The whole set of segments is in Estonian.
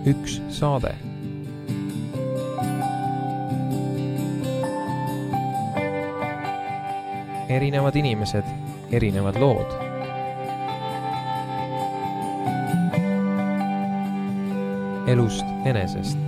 üks saade. Erinevad inimesed, erinevad lood. Elust enesest.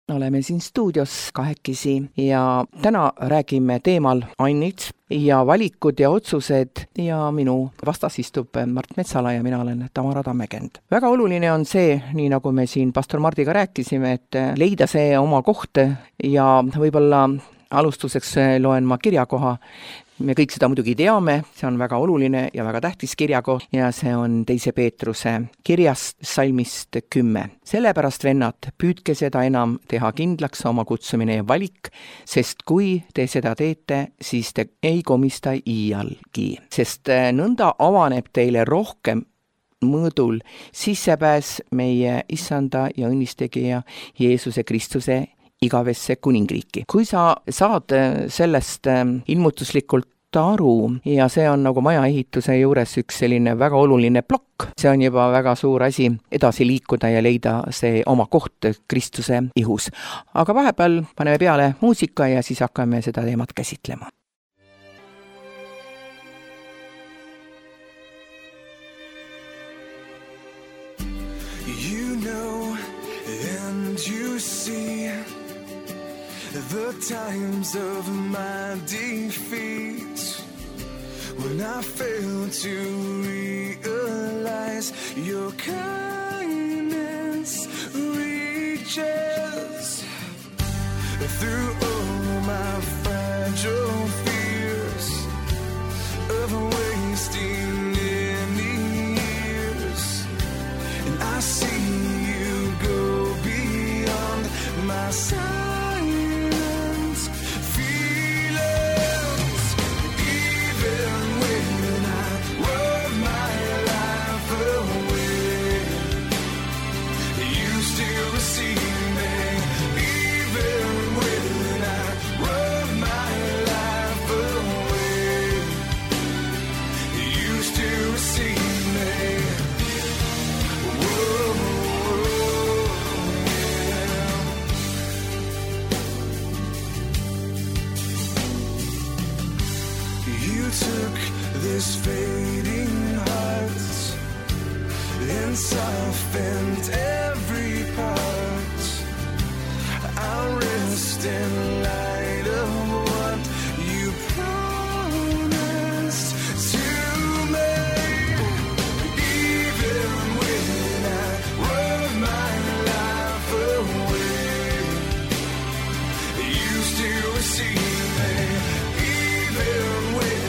Oleme siin stuudios kahekesi ja täna räägime teemal annid ja valikud ja otsused ja minu vastas istub Mart Metsala ja mina olen Tamara Tammekend. Väga oluline on see, nii nagu me siin pastor Mardiga rääkisime, et leida see oma koht ja võib-olla alustuseks loen ma kirjakoha. Me kõik seda muidugi teame, see on väga oluline ja väga tähtis kirjakoht ja see on 2. Peetruse kirjast salmist 10. Sellepärast, vennad, püüdke seda enam teha kindlaks oma kutsumine ja valik, sest kui te seda teete, siis te ei komista iialgi. Sest nõnda avaneb teile rohkem mõõdul sissepääs meie issanda ja õnnistegija Jeesuse Kristuse igavesse kuningriiki. Kui sa saad sellest ilmutuslikult aru ja see on nagu maja ehituse juures üks selline väga oluline plokk, see on juba väga suur asi edasi liikuda ja leida see oma koht Kristuse ihus. Aga vahepeal paneme peale muusika ja siis hakkame seda teemat käsitlema. You know and you see the times of my defeat, when I fail to realize your kindness reaches through all my fragile fears of wasting any years, and I see you go beyond my sight. This fading heart and softened every part. I'll rest in light of what you promised to me. Even when I run my life away, you still receive me. Even when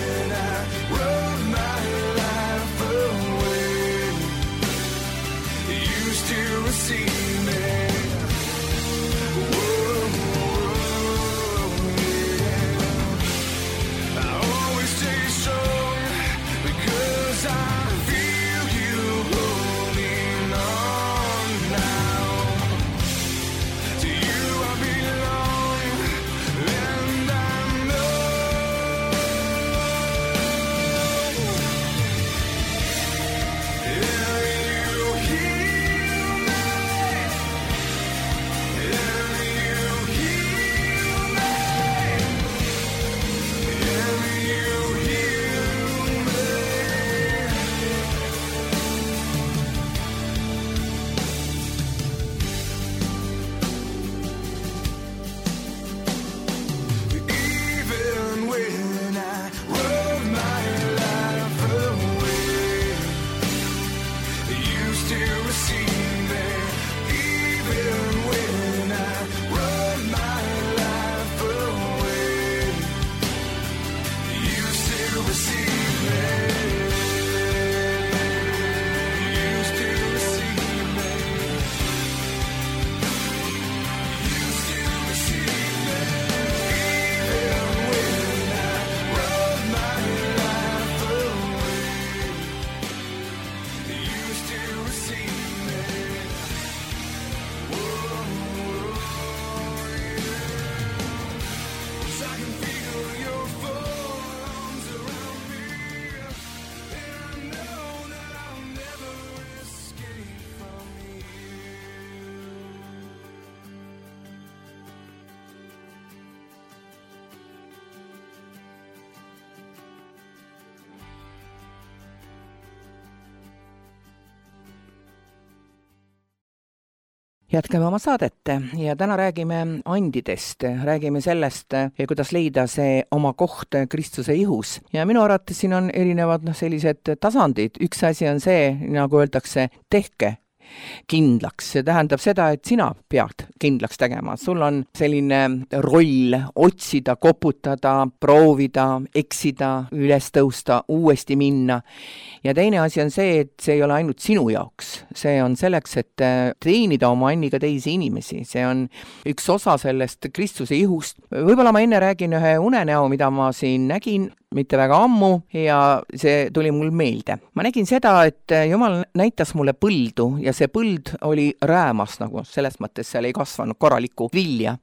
jätkame oma saadet ja täna räägime andidest, räägime sellest, kuidas leida see oma koht Kristuse ihus. Ja minu arvates siin on erinevad sellised tasandid. Üks asi on see, nagu öeldakse, tehke kindlaks. See tähendab seda, et sina pead kindlaks tegema. Sul on selline roll otsida, koputada, proovida, eksida, üles tõusta, uuesti minna. Ja teine asi on see, et see ei ole ainult sinu jaoks. See on selleks, et teenida oma anniga teisi inimesi. See on üks osa sellest Kristuse ihust. Võib-olla ma enne räägin ühe unenäo, mida ma siin nägin mitte väga ammu ja see tuli mul meelde. Ma nägin seda, et Jumal näitas mulle põldu ja see põld oli räämas, nagu selles mõttes seal ei kasvanud korralikku vilja.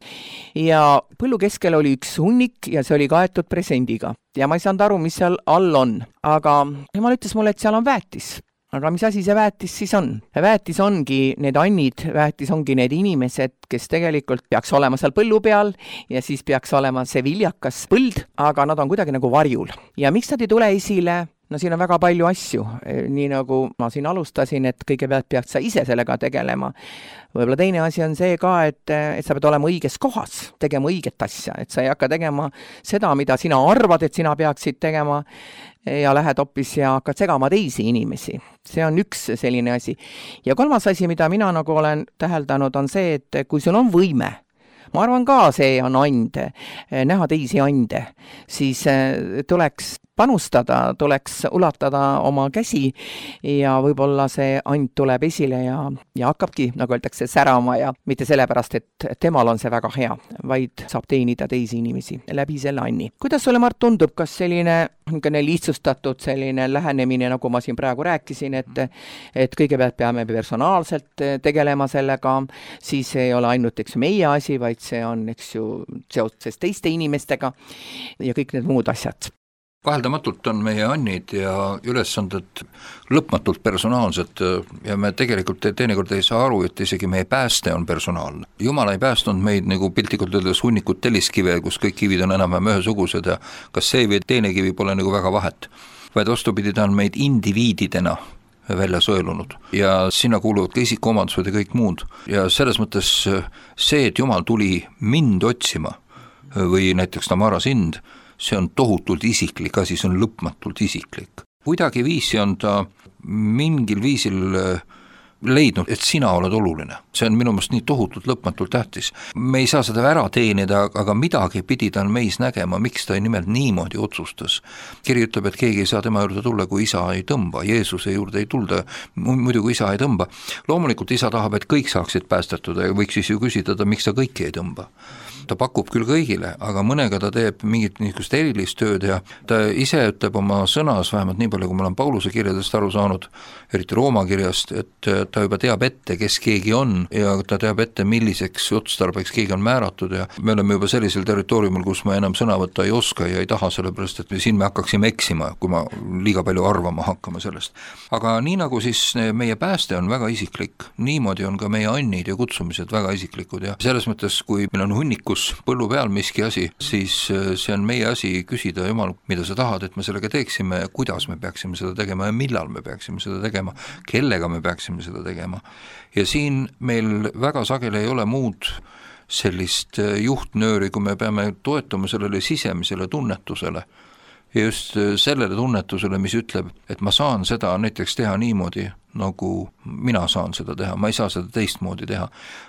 Ja põllu keskel oli üks hunnik ja see oli kaetud presendiga. Ja ma ei saanud aru, mis seal all on. Aga Jumal ütles mulle, et seal on väetis. Aga mis asi see väetis siis on? Väetis ongi need annid, väetis ongi need inimesed, kes tegelikult peaks olema seal põllu peal ja siis peaks olema see viljakas põld, aga nad on kuidagi nagu varjul. Ja miks nad ei tule esile? No siin on väga palju asju, nii nagu ma siin alustasin, et kõigepealt peaks sa ise sellega tegelema. Võib-olla teine asi on see ka, et sa pead olema õiges kohas, tegema õiget asja, et sa ei hakka tegema seda, mida sina arvad, et sina peaksid tegema ja lähed hoopis ja hakkad segama teisi inimesi. See on üks selline asi. Ja kolmas asi, mida mina nagu olen täheldanud, on see, et kui sul on võime, ma arvan ka, see on and, näha teisi ande, siis tuleks panustada, tuleks ulatada oma käsi ja võib-olla see and tuleb esile ja hakkabki, nagu öeldakse, särama ja mitte sellepärast, et temal on see väga hea, vaid saab teenida teisi inimesi läbi selle anni. Kuidas sulle, Mart, tundub, kas selline lihtsustatud selline lähenemine, nagu ma siin praegu rääkisin, et kõigepealt peame personaalselt tegelema sellega, siis ei ole ainult meie asi, vaid see on seoses teiste inimestega ja kõik need muud asjad. Vaheldamatult on meie annid ja ülesanded lõpmatult personaalsed ja me tegelikult teinekord ei saa aru, et isegi meie pääste on personaalne. Jumal ei päästnud meid nagu piltlikult öeldes hunnikud telliskive, kus kõik kivid on enam-vähem ühesugused ja kas see või teine kivi pole nagu väga vahet, vaid vastupidi, ta on meid indiviididena välja sõelunud ja sinna kuuluvad ka isikuomadused ja kõik muud. Ja selles mõttes see, et Jumal tuli mind otsima või näiteks Tamara sind, see on tohutult isiklik asi, see on lõpmatult isiklik. Kuidagi viisi on ta mingil viisil leidnud, et sina oled oluline. See on minu meelest nii tohutult lõpmatult tähtis. Me ei saa seda ära teenida, aga midagi pidi ta on meis nägema, miks ta nimelt niimoodi otsustas. Kiri ütleb, et keegi ei saa tema juurde tulla, kui isa ei tõmba. Jeesuse juurde ei tulda, muidu kui isa ei tõmba. Loomulikult isa tahab, et kõik saaksid päästetud ja võiks siis ju küsida, miks ta kõiki ei tõmba. Ta pakub küll kõigile, aga mõnega ta teeb mingit niisugust erilist tööd ja ta ise ütleb oma sõnas, vähemalt nii palju, kui ma olen Pauluse kirjadest aru saanud, eriti Rooma kirjast, et ta juba teab ette, kes keegi on ja ta teab ette, milliseks otstarbeks keegi on määratud ja me oleme juba sellisel territooriumil, kus ma enam sõna võtta ei oska ja ei taha, sellepärast et siin me hakkaksime eksima, kui ma liiga palju arvama hakkama sellest. Aga nii nagu siis meie pääste on väga isiklik, niimoodi on ka meie annid ja kutsumised väga isiklikud ja selles mõttes, kui meil on hunnikus põllu peal miski asi, siis see on meie asi küsida, Jumal, mida sa tahad, et me sellega teeksime ja kuidas me peaksime seda tegema ja millal me peaksime seda tegema, kellega me peaksime seda tegema. Ja siin meil väga sageli ei ole muud sellist juhtnööri, kui me peame toetuma sellele sisemisele tunnetusele ja just sellele tunnetusele, mis ütleb, et ma saan seda näiteks teha niimoodi, nagu mina saan seda teha, ma ei saa seda teistmoodi teha.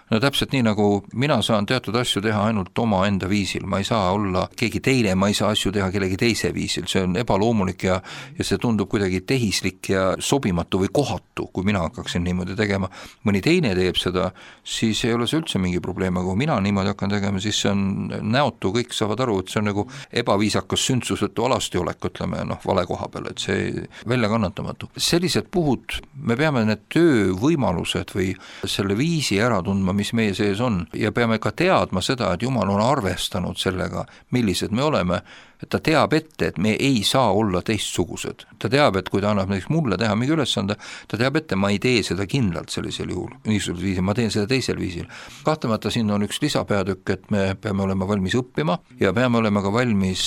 No täpselt nii, nagu mina saan teatud asju teha ainult oma enda viisil, ma ei saa olla keegi teine, ma ei saa asju teha kellegi teise viisil, see on ebaloomulik ja see tundub kuidagi tehislik ja sobimatu või kohatu, kui mina hakkaksin niimoodi tegema. Mõni teine teeb seda, siis ei ole see üldse mingi probleem, aga kui mina niimoodi hakkan tegema, siis see on näotu, kõik saavad aru, et see on nagu ebaviisakas sündsusetu alastiolek, ütleme, vale koha peal, et see välja kannatamatu. Sellised puhud me peame need töövõimalused või selle viisi ära tundma, mis meie sees on ja peame ka teadma seda, et Jumal on arvestanud sellega, millised me oleme et ta teab ette, et me ei saa olla teistsugused. Ta teab, et kui ta annab näiteks mulle teha mingi ülesande, ta teab ette, ma ei tee seda kindlalt sellisel juhul, niisugusel viisil, ma teen seda teisel viisil. Kahtlemata siin on üks lisapeatükk, et me peame olema valmis õppima ja peame olema ka valmis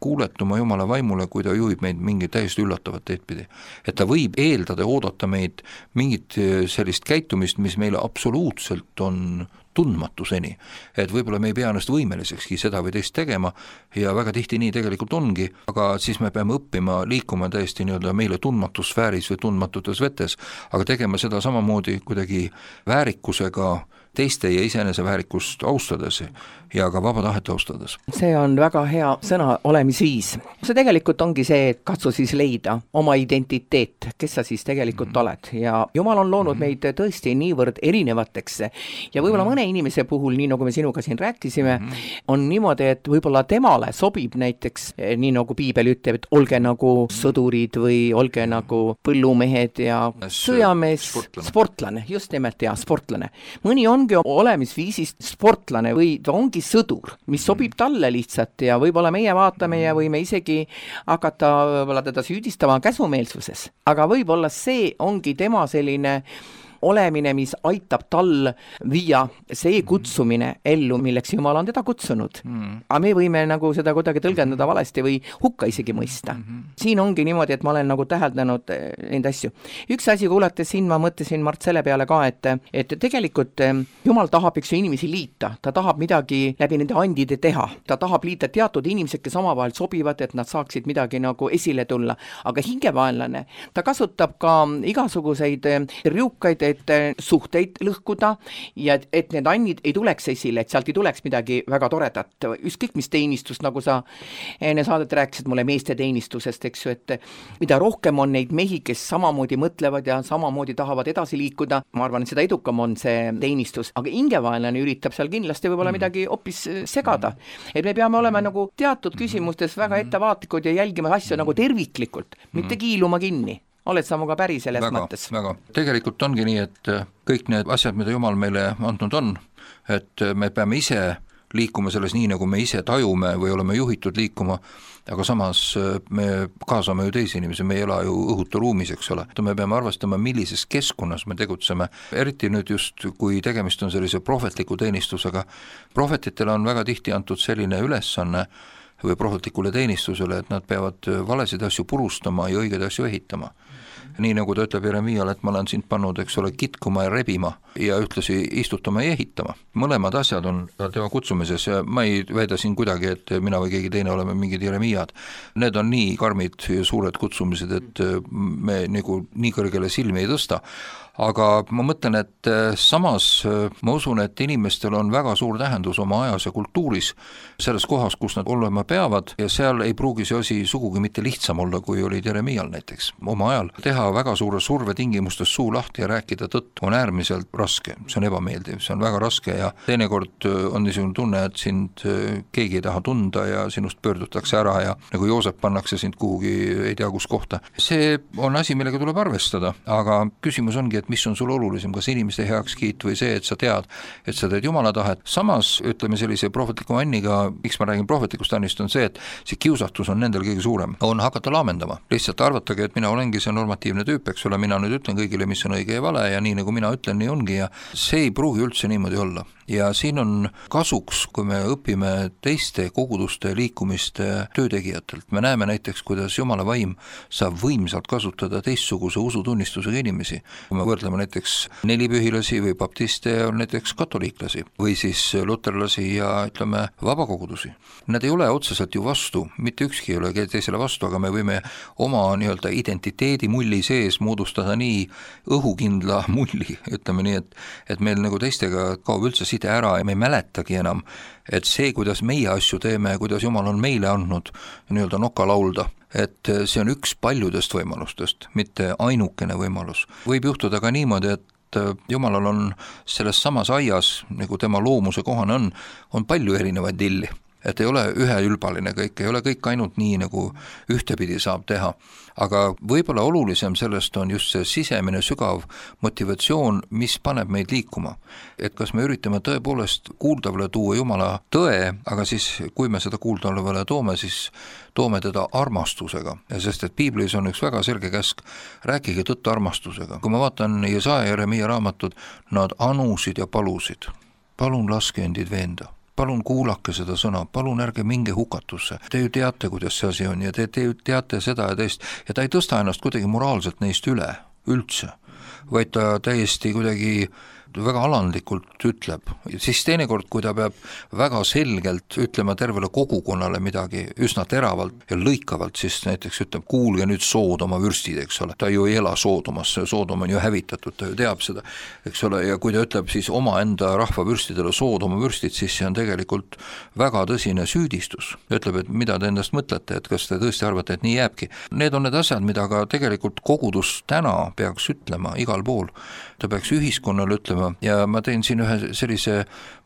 kuuletuma Jumala vaimule, kui ta juhib meid mingi täiesti üllatavat teed pidi. Et ta võib eeldada ja oodata meid mingit sellist käitumist, mis meile absoluutselt on tundmatuseni, et võib-olla me ei pea ennast võimelisekski seda või teist tegema ja väga tihti nii tegelikult ongi, aga siis me peame õppima liikuma täiesti nii-öelda meile tundmatusfääris või tundmatutes vetes, aga tegema seda samamoodi kuidagi väärikusega, teiste ja iseenese väärikust austades ja ka vaba tahet austades. See on väga hea sõna olemisviis. See tegelikult ongi see, et katsu siis leida oma identiteet, kes sa siis tegelikult oled ja Jumal on loonud meid tõesti niivõrd erinevateks ja võib-olla mõne inimese puhul, nii nagu me sinuga siin rääkisime, on niimoodi, et võib-olla temale sobib näiteks, nii nagu Piibel ütleb, et olge nagu sõdurid või olge nagu põllumehed ja sõjamees, sportlane, just nimelt ja sportlane. Mõni ongi olemisviisist sportlane või ta ongi sõdur, mis sobib talle lihtsalt ja võib-olla meie vaatame ja võime isegi hakata võib-olla teda süüdistama käsumeelsuses. Aga võib-olla see ongi tema selline olemine, mis aitab tal viia see kutsumine ellu, milleks Jumal on teda kutsunud. Aga me võime nagu seda kuidagi tõlgendada valesti või hukka isegi mõista. Siin ongi niimoodi, et ma olen nagu täheldanud neid asju. Üks asi, kuulates siin, ma mõtlesin Mart selle peale ka, et tegelikult Jumal tahab üks inimesi liita. Ta tahab midagi läbi nende andide teha. Ta tahab liita teatud inimesed, kes omavahel sobivad, et nad saaksid midagi nagu esile tulla. Aga hingevaenlane, ta kasutab ka igasuguseid riukaid, et suhteid lõhkuda ja et need annid ei tuleks esile, et sealt ei tuleks midagi väga toredat. Ükskõik mis teenistust, nagu sa enne saadet rääkisid mulle meeste teenistusest, eks ju, et mida rohkem on neid mehi, kes samamoodi mõtlevad ja samamoodi tahavad edasi liikuda, ma arvan, et seda edukam on see teenistus, aga hingevaenlane üritab seal kindlasti võib-olla midagi hoopis segada. Et me peame olema nagu teatud küsimustes väga ettevaatlikud ja jälgima asju nagu terviklikult, mitte kiiluma kinni. Oled sa muga päri selles mõttes? Väga. Tegelikult ongi nii, et kõik need asjad, mida Jumal meile andnud on, et me peame ise liikuma selles nii, nagu me ise tajume või oleme juhitud liikuma, aga samas me kaasame ju teisi inimesi, me ei ela ju õhuta ruumis, eks ole. Me peame arvestama, millises keskkonnas me tegutseme, eriti nüüd just, kui tegemist on sellise prohvetliku teenistusega. Prohvetitele on väga tihti antud selline ülesanne või prohvetlikule teenistusele, et nad peavad valesid asju purustama ja õigeid asju ehitama. Nii nagu ta ütleb Jeremiale, et ma olen sind pannud, eks ole, kitkuma ja rebima ja ühtlasi istutama ja ehitama. Mõlemad asjad on tema kutsumises ja ma ei väida siin kuidagi, et mina või keegi teine oleme mingid Jeremiad. Need on nii karmid ja suured kutsumised, et me nagu nii kõrgele silmi ei tõsta. Aga ma mõtlen, et samas ma usun, et inimestel on väga suur tähendus oma ajas ja kultuuris, selles kohas, kus nad olema peavad ja seal ei pruugi see asi sugugi mitte lihtsam olla, kui oli Jeremial näiteks oma ajal. Teha väga suure surve tingimustes suu lahti ja rääkida tõtt on äärmiselt raske, see on ebameeldiv, see on väga raske ja teinekord on niisugune tunne, et sind keegi ei taha tunda ja sinust pöördutakse ära ja nagu Joosep pannakse sind kuhugi ei tea kus kohta. See on asi, millega tuleb arvestada, aga küsimus ongi, et mis on sul olulisem, kas inimeste heakskiit või see, et sa tead, et sa teed Jumala tahet. Samas, ütleme sellise prohvetliku Anniga, miks ma räägin prohvetlikust Annist, on see, et see kiusatus on nendel kõige suurem, on hakata laamendama. Lihtsalt arvatage, et mina olengi see normatiivne tüüp, eks ole, mina nüüd ütlen kõigile, mis on õige ja vale ja nii nagu mina ütlen, nii ongi ja see ei pruugi üldse niimoodi olla. Ja siin on kasuks, kui me õpime teiste koguduste liikumiste töötegijatelt. Me näeme näiteks, kuidas Jumala vaim saab võimsalt kasutada teistsuguse usutunnistusega inimesi. Kui me võrdleme näiteks nelipühilasi või baptiste ja näiteks katoliiklasi või siis luterlasi ja ütleme vabakogudusi. Nad ei ole otseselt ju vastu, mitte ükski ei ole teisele vastu, aga me võime oma nii-öelda identiteedi mulli sees moodustada nii õhukindla mulli, ütleme nii, et meil nagu teistega kaob üldse ära ja me ei mäletagi enam, et see, kuidas meie asju teeme ja kuidas Jumal on meile andnud nii-öelda noka laulda, et see on üks paljudest võimalustest, mitte ainukene võimalus. Võib juhtuda ka niimoodi, et Jumalal on selles samas aias, nagu tema loomuse kohane on palju erinevaid lilli. et ei ole üheülbaline kõik, ei ole kõik ainult nii, nagu ühtepidi saab teha. Aga võib-olla olulisem sellest on just see sisemine sügav motivatsioon, mis paneb meid liikuma. Et kas me üritame tõepoolest kuuldavale tuua Jumala tõe, aga siis kui me seda kuuldavale toome, siis toome teda armastusega. Ja sest et Piiblis on üks väga selge käsk, rääkige tõtt armastusega. Kui ma vaatan Jesaja ja Jeremia raamatud, nad anusid ja palusid. Palun laske endid veenda. Palun kuulake seda sõna, palun ärge minge hukatusse. Te ju teate, kuidas see asi on ja te ju teate seda ja teist. Ja ta ei tõsta ennast kuidagi moraalselt neist üldse, vaid ta täiesti kuidagi väga alandlikult ütleb. Siis teinekord, kui ta peab väga selgelt ütlema tervele kogukonnale midagi üsna teravalt ja lõikavalt, siis näiteks ütleb, kuulge nüüd Soodoma vürstid, eks ole. Ta ju ei ela Soodomas, Soodom on ju hävitatud, ta ju teab seda, eks ole, ja kui ta ütleb siis oma enda rahva vürstidele Soodoma vürstid, siis see on tegelikult väga tõsine süüdistus. Ütleb, et mida te endast mõtlete, et kas te tõesti arvate, et nii jääbki. Need on need asjad, mida ka tegelikult kogudus täna peaks ütlema igal pool. Ta peaks ühiskonnale ütlema ja ma teen siin ühe sellise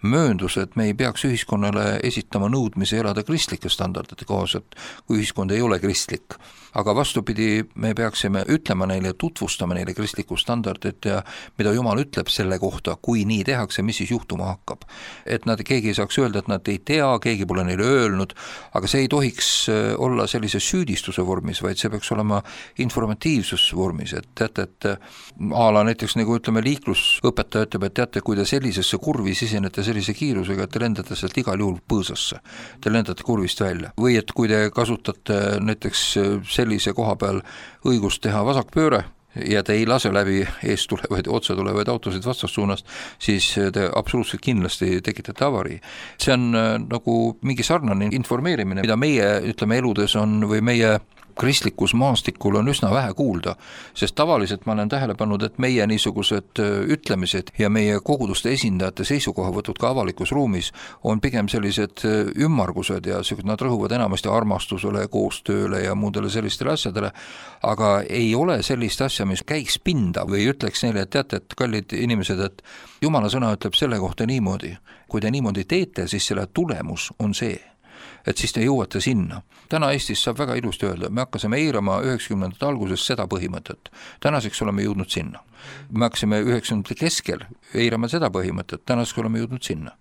möönduse, et me ei peaks ühiskonnale esitama nõudmisi elada kristlike standardite kohaselt, kui ühiskond ei ole kristlik. Aga vastupidi, me peaksime ütlema neile, tutvustama neile kristlikku standardit ja mida Jumal ütleb selle kohta, kui nii tehakse, mis siis juhtuma hakkab. Et keegi ei saaks öelda, et nad ei tea, keegi pole neile öelnud, aga see ei tohiks olla sellise süüdistuse vormis, vaid see peaks olema informatiivsus vormis, et teate, et ala näiteks nagu ütleme liiklusõpetaja ütleb, et teate, kui te sellisesse kurvi sisenete sellise kiirusega, et te lendate sealt igal juhul põõsasse, te lendate kurvist välja. Või et kui te kasutate näiteks sellise koha peal õigust teha vasakpööre ja te ei lase läbi eest tulevaid, otse tulevaid autosid vastassuunast, siis te absoluutselt kindlasti tekitate avarii. See on nagu mingi sarnane informeerimine, mida meie, ütleme, eludes on või meie kristlikus maastikul on üsna vähe kuulda, sest tavaliselt ma olen tähele pannud, et meie niisugused ütlemised ja meie koguduste esindajate seisukohavõtud ka avalikus ruumis on pigem sellised ümmargused ja nad rõhuvad enamasti armastusele, koostööle ja muudele sellistele asjadele, aga ei ole sellist asja, mis käiks pinda või ütleks neile, et teate, et kallid inimesed, et Jumala sõna ütleb selle kohta niimoodi. Kui te niimoodi teete, siis selle tulemus on see, et siis te jõuate sinna. Täna Eestis saab väga ilusti öelda, me hakkasime eirama 90. alguses seda põhimõtet. Tänaseks oleme jõudnud sinna. Me hakkasime 90. keskel eirama seda põhimõtet, tänaseks oleme jõudnud sinna.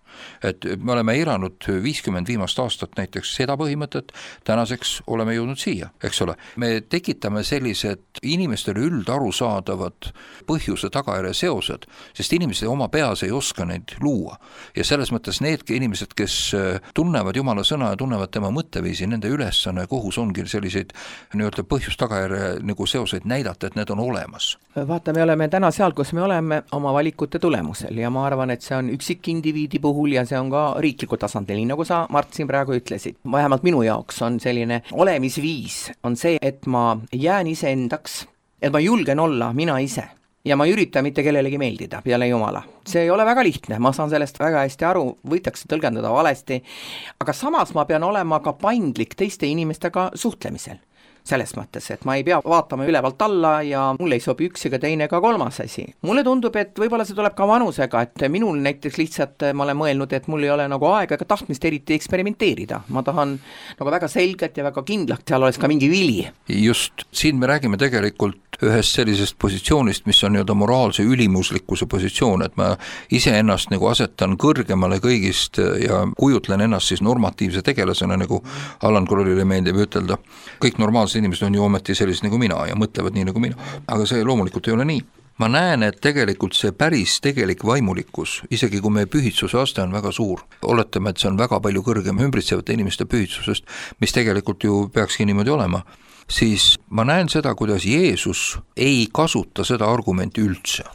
Et me oleme eiranud 50 viimast aastat näiteks seda põhimõtet, tänaseks oleme jõudnud siia, eks ole. Me tekitame sellised inimestele üldarusaadavad põhjuse tagajärje seosed, sest inimesed oma peas ei oska neid luua. Ja selles mõttes need inimesed, kes tunnevad Jumala sõna ja tunnevad tema mõtteviisi, nende ülesanne kohus ongi selliseid nii-öelda põhjus-tagajärje nagu seoseid näidata, et need on olemas. Vaata, me oleme täna seal, kus me oleme oma valikute tulemusel ja ma arvan, et see on üksikindiviidi puhul ja see on ka riikliku tasandil, nii nagu sa, Mart, siin praegu ütlesid. Vähemalt minu jaoks on selline olemisviis, on see, et ma jään iseendaks, et ma julgen olla mina ise. Ja ma ei ürita mitte kellelegi meeldida peale Jumala. See ei ole väga lihtne, ma saan sellest väga hästi aru, võitakse tõlgendada valesti, aga samas ma pean olema ka paindlik teiste inimestega suhtlemisel. Selles mõttes, et ma ei pea vaatama ülevalt alla ja mulle ei sobi üks ega teine ega kolmas asi. Mulle tundub, et võib-olla see tuleb ka vanusega, et minul näiteks lihtsalt ma olen mõelnud, et mul ei ole nagu aega ega tahtmist eriti eksperimenteerida. Ma tahan nagu väga selgelt ja väga kindlalt, seal oleks ka mingi vili. Just, siin me räägime tegelikult ühest sellisest positsioonist, mis on nii-öelda moraalse ülimuslikkuse positsioon, et ma ise ennast nagu asetan kõrgemale kõigist ja kujutlen ennast siis normatiivse tegelasena, nagu Allan Krollile meeldib ütelda. Kõik normaalsed inimesed on ju ometi sellised nagu mina ja mõtlevad nii nagu mina, aga see loomulikult ei ole nii. Ma näen, et tegelikult see päris tegelik vaimulikkus, isegi kui meie pühitsuse aste on väga suur, oletame, et see on väga palju kõrgem ümbritsevate inimeste pühitsusest, mis tegelikult ju peakski niimoodi olema, siis ma näen seda, kuidas Jeesus ei kasuta seda argumenti üldse.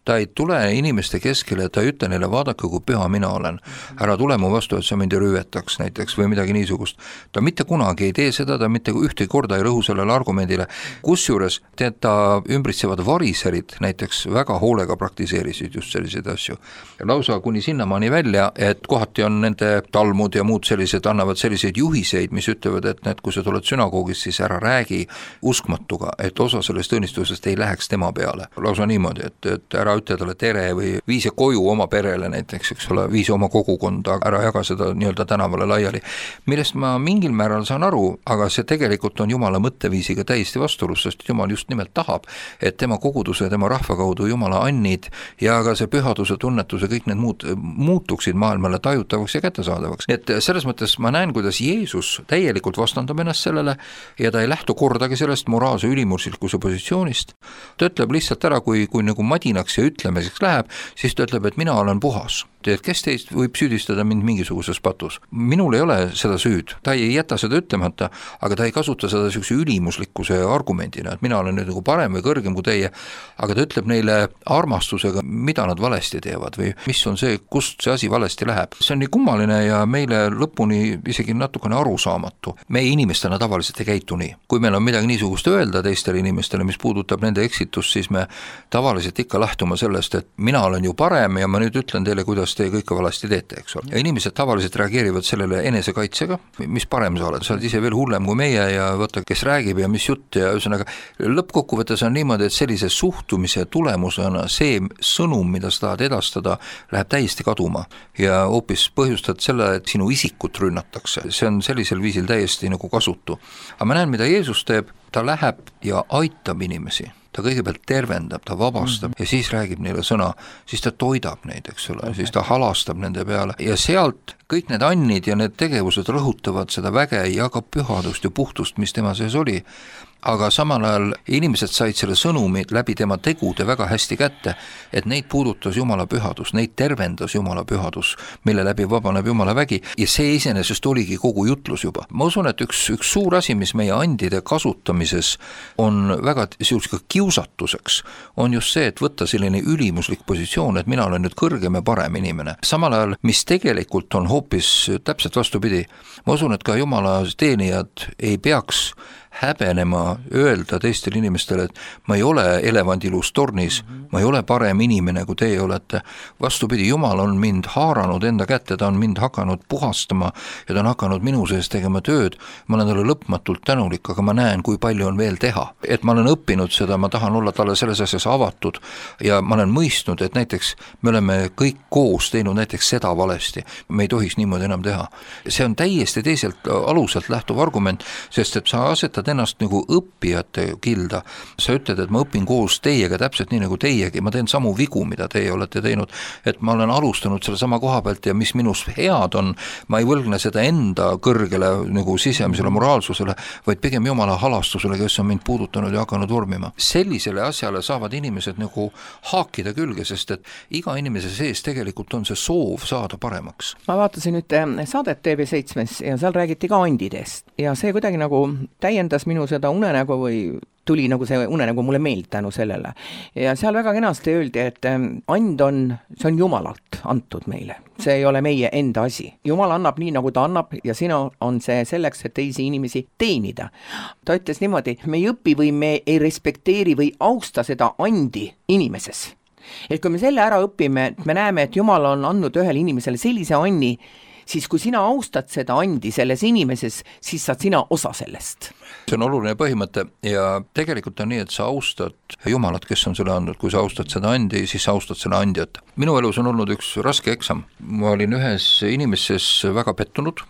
Ta ei tule inimeste keskele, ta ei ütle neile, vaadake, kui püha mina olen. Ära tule mu vastu, et sa mind rüvetaks näiteks või midagi niisugust. Ta mitte kunagi ei tee seda, ta mitte ühtegi korda ei rõhu sellele argumendile. Kusjuures ta ümbritsevad variserid näiteks väga hoolega praktiseerisid just selliseid asju. Lausa kuni sinnamaani välja, et kohati on nende talmud ja muud sellised, annavad selliseid juhiseid, mis ütlevad, et kui sa tuled sünagoogis, siis ära räägi uskmatuga, et osa sellest õnnistusest ei läheks tema peale. Lausa niimoodi, et ära ütle talle tere või vii see koju oma perele näiteks, eks ole, vii see oma kogukonda, ära jaga seda nii-öelda tänavale laiali. Millest ma mingil määral saan aru, aga see tegelikult on Jumala mõtteviisiga täiesti vastuolus, sest Jumal just nimelt tahab, et tema koguduse ja tema rahva kaudu Jumala annid ja ka see pühaduse tunnetus ja kõik need muud muutuksid maailmale tajutavaks ja kättesaadavaks. Et selles mõttes ma näen, kuidas Jeesus täielikult vastandab ennast sellele ja ta ei lähtu kordagi sellest moraalse ülimuslikkuse positsioonist. Ta ütleb lihtsalt ära, kui nagu madinaks ja ütlemiseks läheb, siis ta ütleb, et mina olen puhas. Et kes teist võib süüdistada mind mingisuguses patus? Minul ei ole seda süüd, ta ei jäta seda ütlemata, aga ta ei kasuta seda sellise ülimuslikkuse argumendina, et mina olen nüüd nagu parem või kõrgem kui teie, aga ta ütleb neile armastusega, mida nad valesti teevad või mis on see, kust see asi valesti läheb. See on nii kummaline ja meile lõpuni isegi natukene arusaamatu. Meie inimestena tavaliselt ei käitu nii. Kui meil on midagi niisugust öelda teistele inimestele, mis puudutab nende eksitust, siis me tavaliselt ikka lähtume sellest, et mina olen ju parem ja ma nüüd ütlen teile, kuidas te kõike valasti teete, eks ole. Ja inimesed tavaliselt reageerivad sellele enesekaitsega, mis parem sa oled ise veel hullem kui meie ja võtta, kes räägib ja mis jutt ja ühesõnaga lõppkokkuvõttes on niimoodi, et sellise suhtumise tulemusena see sõnum, mida sa tahad edastada, läheb täiesti kaduma ja hoopis põhjustad selle, et sinu isikut rünnatakse. See on sellisel viisil täiesti nagu kasutu. Aga ma näen, mida Jeesus teeb, ta läheb ja aitab inimesi. Ta kõigepealt tervendab, ta vabastab ja siis räägib neile sõna, siis ta toidab neid, eks ole, siis ta halastab nende peale ja sealt kõik need annid ja need tegevused rõhutavad seda väge ja ka pühadust ja puhtust, mis tema sees oli. Aga samal ajal inimesed said selle sõnumi läbi tema tegude väga hästi kätte, et neid puudutas Jumala pühadus, neid tervendas Jumala pühadus, mille läbi vabaneb Jumala vägi ja see iseenesest oligi kogu jutlus juba. Ma usun, et üks suur asi, mis meie andide kasutamises on väga sellisega kiusatuseks, on just see, et võtta selline ülimuslik positsioon, et mina olen nüüd kõrgem ja parem inimene. Samal ajal, mis tegelikult on hoopis täpselt vastupidi. Ma usun, et ka Jumala teenijad ei peaks häbenema öelda teistele inimestele, et ma ei ole elevandilus tornis, ma ei ole parem inimene, kui teie olete. Vastupidi, Jumal on mind haaranud enda kätte, ta on mind hakanud puhastama ja ta on hakanud minu sees tegema tööd. Ma olen talle lõpmatult tänulik, aga ma näen, kui palju on veel teha. Et ma olen õppinud seda, ma tahan olla talle selles asjas avatud ja ma olen mõistnud, et näiteks me oleme kõik koos teinud näiteks seda valesti. Me ei tohiks niimoodi enam teha. See on täiesti teiselt aluselt lähtuv argument, sest et sa asetad ennast nagu õppijate kilda. Sa ütled, et ma õpin koos teiega täpselt nii nagu teiegi, ma teen samu vigu, mida teie olete teinud, et ma olen alustanud selle sama koha pealt ja mis minus head on, ma ei võlgne seda enda kõrgele nagu sisemisele moraalsusele, vaid pigem Jumala halastusele, kes on mind puudutanud ja hakanud vormima. Sellisele asjale saavad inimesed nagu haakida külge, sest et iga inimese sees tegelikult on see soov saada paremaks. Ma vaatasin nüüd saadet TV7 ja seal räägiti ka andidest ja see kuidagi nagu täiendas minu seda unenägu või tuli nagu see unenägu mulle meeld tänu sellele. Ja seal väga kenasti öeldi, et and on, see on Jumalalt antud meile. See ei ole meie enda asi. Jumal annab nii, nagu ta annab ja sina on see selleks, et teisi inimesi teenida. Ta ütles niimoodi, me ei õpi või me ei respekteeri või austa seda andi inimeses. Et kui me selle ära õpime, me näeme, et Jumal on andnud ühele inimesele sellise anni, siis kui sina austad seda andi selles inimeses, siis saad sina osa sellest. See on oluline põhimõte ja tegelikult on nii, et sa austad Jumalat, kes on selle andnud. Kui sa austad seda andi, siis sa austad selle andjat. Minu elus on olnud üks raske eksam. Ma olin ühes inimeses väga pettunud,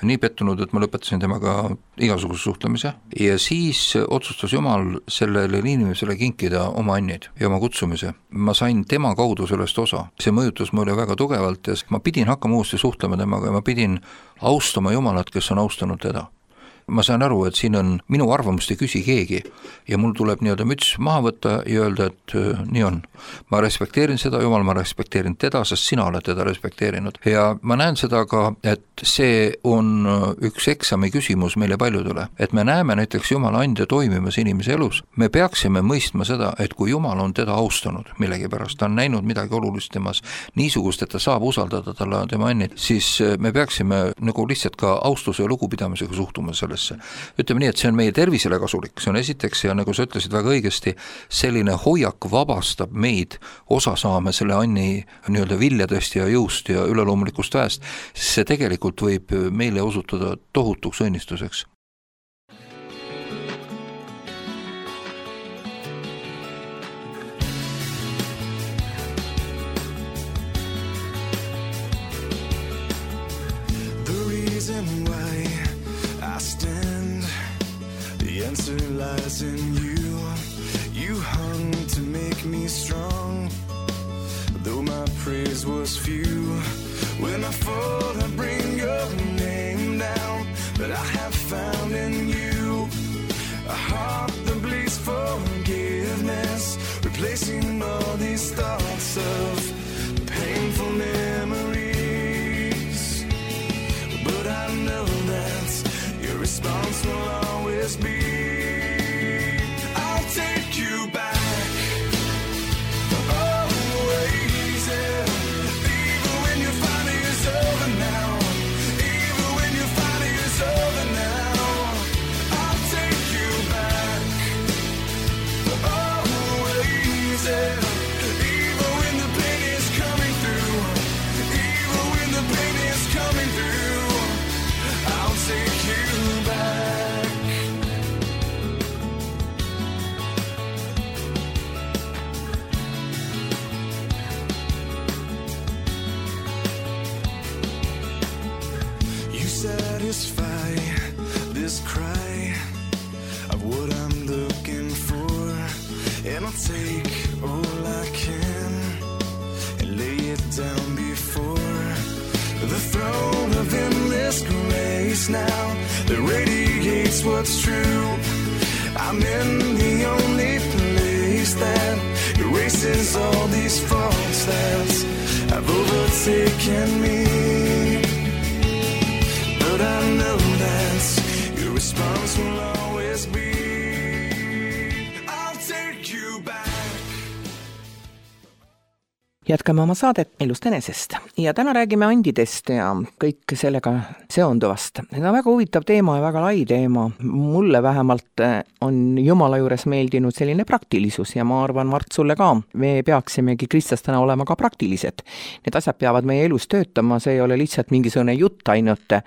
nii pettunud, et ma lõpetasin temaga igasuguse suhtlemise ja siis otsustas Jumal sellele inimesele kinkida oma annid ja oma kutsumise. Ma sain tema kaudu sellest osa. See mõjutas mulle väga tugevalt ja ma pidin hakkama uuesti suhtlema temaga ja ma pidin austama Jumalat, kes on austanud teda. Ma saan aru, et siin on minu arvamust ei küsi keegi ja mul tuleb nii-öelda müts maha võtta ja öelda, et nii on. Ma respekteerin seda, Jumal, ma respekteerin teda, sest sina oled teda respekteerinud. Ja ma näen seda ka, et see on üks eksami küsimus meile paljudele, et me näeme näiteks Jumala andja toimimas inimese elus. Me peaksime mõistma seda, et kui Jumal on teda austanud millegipärast, ta on näinud midagi olulist temas, niisugust, et ta saab usaldada talle tema annid, siis me peaksime nagu lihtsalt ka austuse ja lugupidamisega suhtuma sellesse. Ütleme nii, et see on meie tervisele kasulik, see on esiteks ja nagu sa ütlesid väga õigesti, selline hoiak vabastab meid osa saame selle anni nii-öelda viljadest ja jõust ja üleloomulikust väest, see tegelikult võib meile osutuda tohutuks õnnistuseks. those few. When I fall, I bring your name down. But I have found in you a heart that bleeds forgiveness, replacing all these thoughts of painful memories. But I know that your response will always be, I'll take you back. Always, yeah. Even when you find it is over now. Even when you find it is over now. I'll take you back. Always, yeah. Even when the pain is coming through. Even when the pain is coming through. I'll take you back. You satisfy this cry of what I'm looking for, and I'll take all I can and lay it down before the throne of endless grace now that radiates what's true. I'm in the only place that erases all these faults that have overtaken me. But I know that your response will always be, I'll take you back. Jätkame oma saadet Elust enesest ja täna räägime andidest ja kõik sellega seonduvast. See on väga huvitav teema ja väga lai teema. Mulle vähemalt on Jumala juures meeldinud selline praktilisus ja ma arvan, Mart, sulle ka. Me peaksimegi kristlastena olema ka praktilised. Need asjad peavad meie elus töötama, see ei ole lihtsalt mingisugune jutt ainult.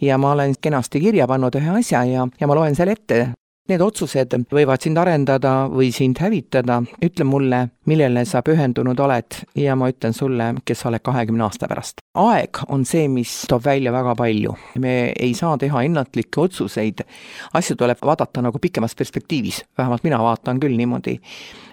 Ja ma olen kenasti kirja pannud ühe asja ja ma loen selle ette. Need otsused võivad sind arendada või sind hävitada. Ütle mulle, millele sa pühendunud oled ja ma ütlen sulle, kes sa oled 20 aasta pärast. Aeg on see, mis toob välja väga palju. Me ei saa teha ennatlikke otsuseid. Asju tuleb vaadata nagu pikemas perspektiivis. Vähemalt mina vaatan küll niimoodi.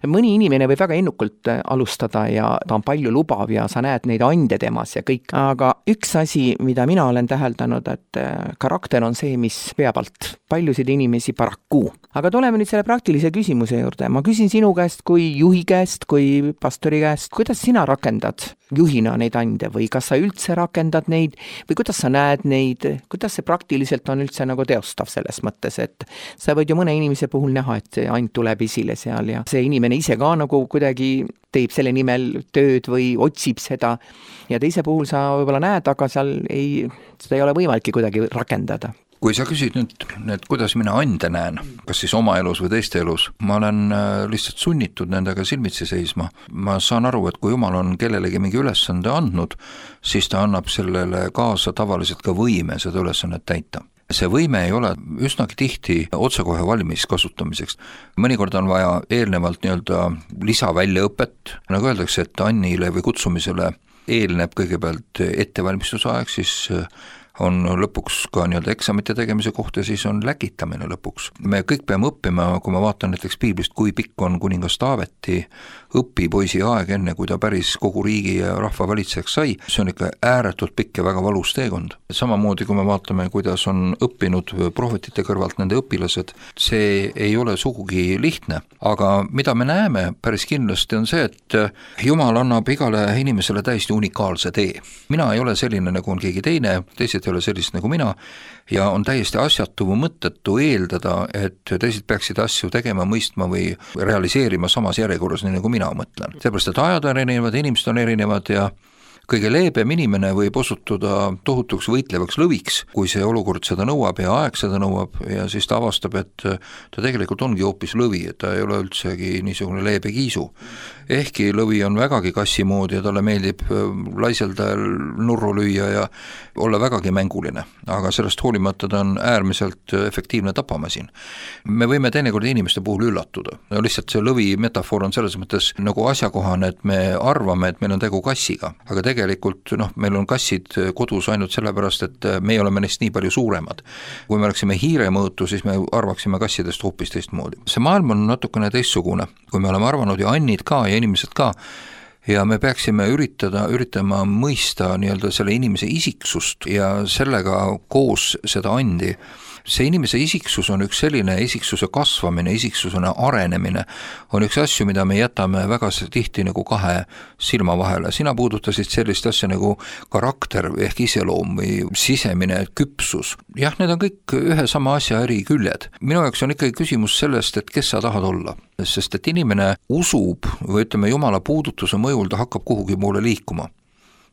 Mõni inimene võib väga ennukult alustada ja ta on palju lubav ja sa näed neid ande temas ja kõik. Aga üks asi, mida mina olen täheldanud, et karakter on see, mis peab alt paljusid inimesi paraku. Aga tuleme nüüd selle praktilise küsimuse juurde. Ma küsin sinu käest kui juhi käest, kui pastori käest, kuidas sina rakendad juhina neid ande või kas sa üldse rakendad neid või kuidas sa näed neid, kuidas see praktiliselt on üldse nagu teostav selles mõttes, et sa võid ju mõne inimese puhul näha, et see and tuleb esile seal ja see inimene ise ka nagu kuidagi teeb selle nimel tööd või otsib seda ja teise puhul sa võib-olla näed, aga seal seda ei ole võimalik kuidagi rakendada. Kui sa küsid nüüd, kuidas mina ande näen, kas siis oma elus või teiste elus, ma olen lihtsalt sunnitud nendega silmitsi seisma. Ma saan aru, et kui Jumal on kellelegi mingi ülesande andnud, siis ta annab sellele kaasa tavaliselt ka võime seda ülesannet täita. See võime ei ole üsnagi tihti otsekohe valmis kasutamiseks. Mõnikord on vaja eelnevalt lisaväljaõpet, nagu öeldakse, et annile või kutsumisele eelneb kõigepealt ettevalmistusaeg, siis on lõpuks ka eksamite tegemise kohta, siis on läkitamine lõpuks. Me kõik peame õppima, kui ma vaatan näiteks piiblist, kui pikk on kuningas Taaveti õpipoisi aeg enne, kui ta päris kogu riigi ja rahva valitsejaks sai. See on ikka ääretult pikk ja väga valus teekond. Samamoodi, kui me vaatame, kuidas on õppinud prohvetite kõrvalt nende õpilased, see ei ole sugugi lihtne. Aga mida me näeme päris kindlasti on see, et Jumal annab igale inimesele täiesti unikaalse tee. Mina ei ole selline, nagu on keegi teine, teised ei ole sellist nagu mina ja on täiesti asjatu või mõttetu eeldada, et teised peaksid asju tegema, mõistma või realiseerima samas järjekorras, nii nagu mina mõtlen. Seepärast, et ajad on erinevad, inimesed on erinevad ja kõige leebem inimene võib osutuda tohutuks võitlevaks lõviks, kui see olukord seda nõuab ja aeg seda nõuab ja siis ta avastab, et ta tegelikult ongi hoopis lõvi, et ta ei ole üldsegi niisugune leebe kiisu. Ehkki lõvi on vägagi kassi moodi ja talle meeldib laiselda nurru lüüa ja olla vägagi mänguline, aga sellest hoolimata ta on äärmiselt efektiivne tapamasin. Me võime teinekord inimeste puhul üllatuda. Lihtsalt see lõvi metafoor on selles mõttes nagu asjakohane, et me arvame, et meil on tegu kassiga, aga tegelikult meil on kassid kodus ainult sellepärast, et meie oleme neist nii palju suuremad. Kui me oleksime hiire mõõtu, siis me arvaksime kassidest hoopis teistmoodi. See maailm on natukene teistsugune, kui me oleme arvanud ja annid ka ja inimesed ka, ja me peaksime üritama mõista nii-öelda selle inimese isiksust ja sellega koos seda andi. See inimese isiksus on üks selline isiksuse kasvamine, isiksusena arenemine, on üks asju, mida me jätame väga tihti nagu kahe silma vahele. Sina puudutasid sellist asja nagu karakter ehk iseloom või sisemine küpsus. Jah, need on kõik ühe sama asja eri küljed. Minu jaoks on ikkagi küsimus sellest, et kes sa tahad olla. Sest et inimene usub või ütleme Jumala puudutuse mõjul ta hakkab kuhugi poole liikuma.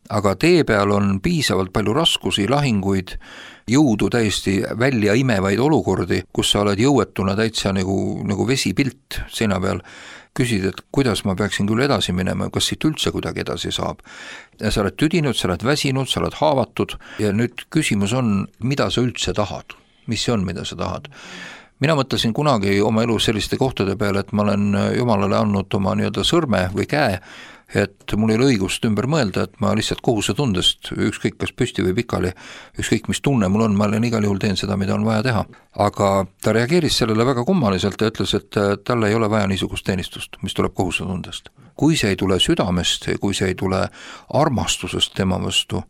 Aga tee peal on piisavalt palju raskusi, lahinguid, jõudu täiesti välja imevaid olukordi, kus sa oled jõuetuna täitsa nagu vesipilt seina peal, küsid, et kuidas ma peaksin küll edasi minema, kas siit üldse kuidagi edasi saab. Ja sa oled tüdinud, sa oled väsinud, sa oled haavatud ja nüüd küsimus on, mida sa üldse tahad, mis see on, mida sa tahad. Mina mõtlesin kunagi oma elus selliste kohtade peale, et ma olen Jumalale andnud oma nii-öelda sõrme või käe, et mul ei ole õigust ümber mõelda, et ma lihtsalt kohusetundest, ükskõik kas püsti või pikali, ükskõik mis tunne mul on, ma olen igal juhul teen seda, mida on vaja teha. Aga ta reageeris sellele väga kummaliselt ja ütles, et talle ei ole vaja niisugust teenistust, mis tuleb kohusetundest. Kui see ei tule südamest, kui see ei tule armastusest tema vastu,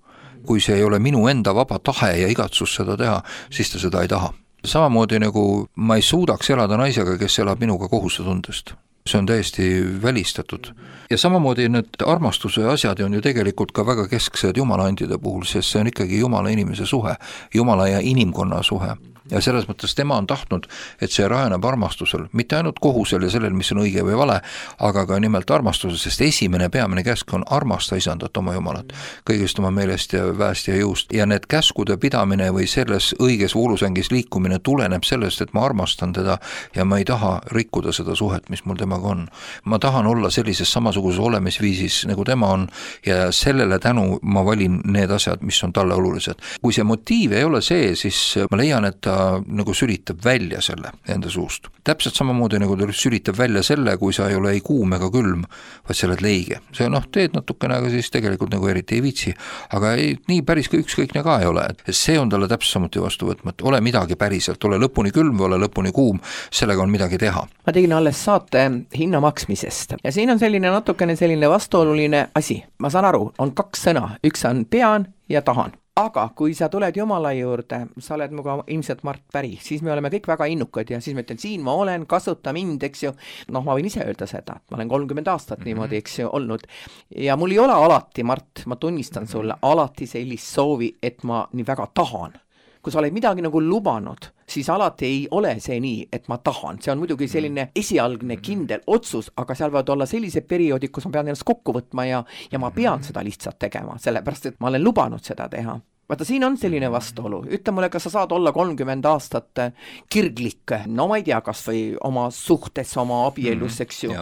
kui see ei ole minu enda vaba tahe ja igatsus seda teha, siis ta seda ei taha. Samamoodi nagu ma ei suudaks elada naisega, kes elab minuga kohusetundest. See on täiesti välistatud. Ja samamoodi need armastuse asjad on ju tegelikult ka väga kesksed jumalaandide puhul, sest see on ikkagi Jumala inimese suhe, Jumala ja inimkonna suhe. Ja selles mõttes tema on tahtnud, et see rajaneb armastusel, mitte ainult kohusel ja sellel, mis on õige või vale, aga ka nimelt armastusel, sest esimene peamine käsk on armasta isandat oma Jumalat, kõigest oma meelest ja väest ja jõust. Ja need käskude pidamine või selles õiges voolusängis liikumine tuleneb sellest, et ma armastan teda ja ma ei taha rikkuda seda suhet, mis mul temaga on. Ma tahan olla sellises samasuguses olemisviisis, nagu tema on ja sellele tänu ma valin need asjad, mis on talle olulised. Kui see motiiv ei ole see, siis ma leian, et ta nagu sülitab välja selle enda suust. Täpselt samamoodi nagu ta sülitab välja selle, kui sa ei ole ei kuum ega külm, vaid sa oled leige. See teed natukene, aga siis tegelikult nagu eriti ei viitsi. Aga nii päris ükskõikne ka ei ole. See on talle täpselt samuti vastu võtma, et ole midagi päriselt, ole lõpuni külm või ole lõpuni kuum, sellega on midagi teha. Ma tegin alles saate hinna maksmisest ja siin on natukene selline vastuoluline asi. Ma saan aru, on kaks sõna, üks on pean ja tahan. Aga kui sa tuled Jumala juurde, sa oled muga ilmselt Mart päri, siis me oleme kõik väga innukad ja siis ma ütlen, siin ma olen, kasuta mind, eks ju. Ma võin ise öelda seda, et ma olen 30 aastat niimoodi, eks ju, olnud. Ja mul ei ole alati, Mart, ma tunnistan sulle, alati sellist soovi, et ma nii väga tahan. Kui sa oled midagi nagu lubanud, siis alati ei ole see nii, et ma tahan. See on muidugi selline esialgne kindel otsus, aga seal võivad olla sellised perioodid, kus ma pean ennast kokku võtma ja ma pean seda lihtsalt tegema, sellepärast et ma olen lubanud seda teha. Vaata, siin on selline vastuolu. Ütle mulle, kas sa saad olla 30 aastat kirglik, no ma ei tea, kas või oma suhtes, oma abielus, eks ju.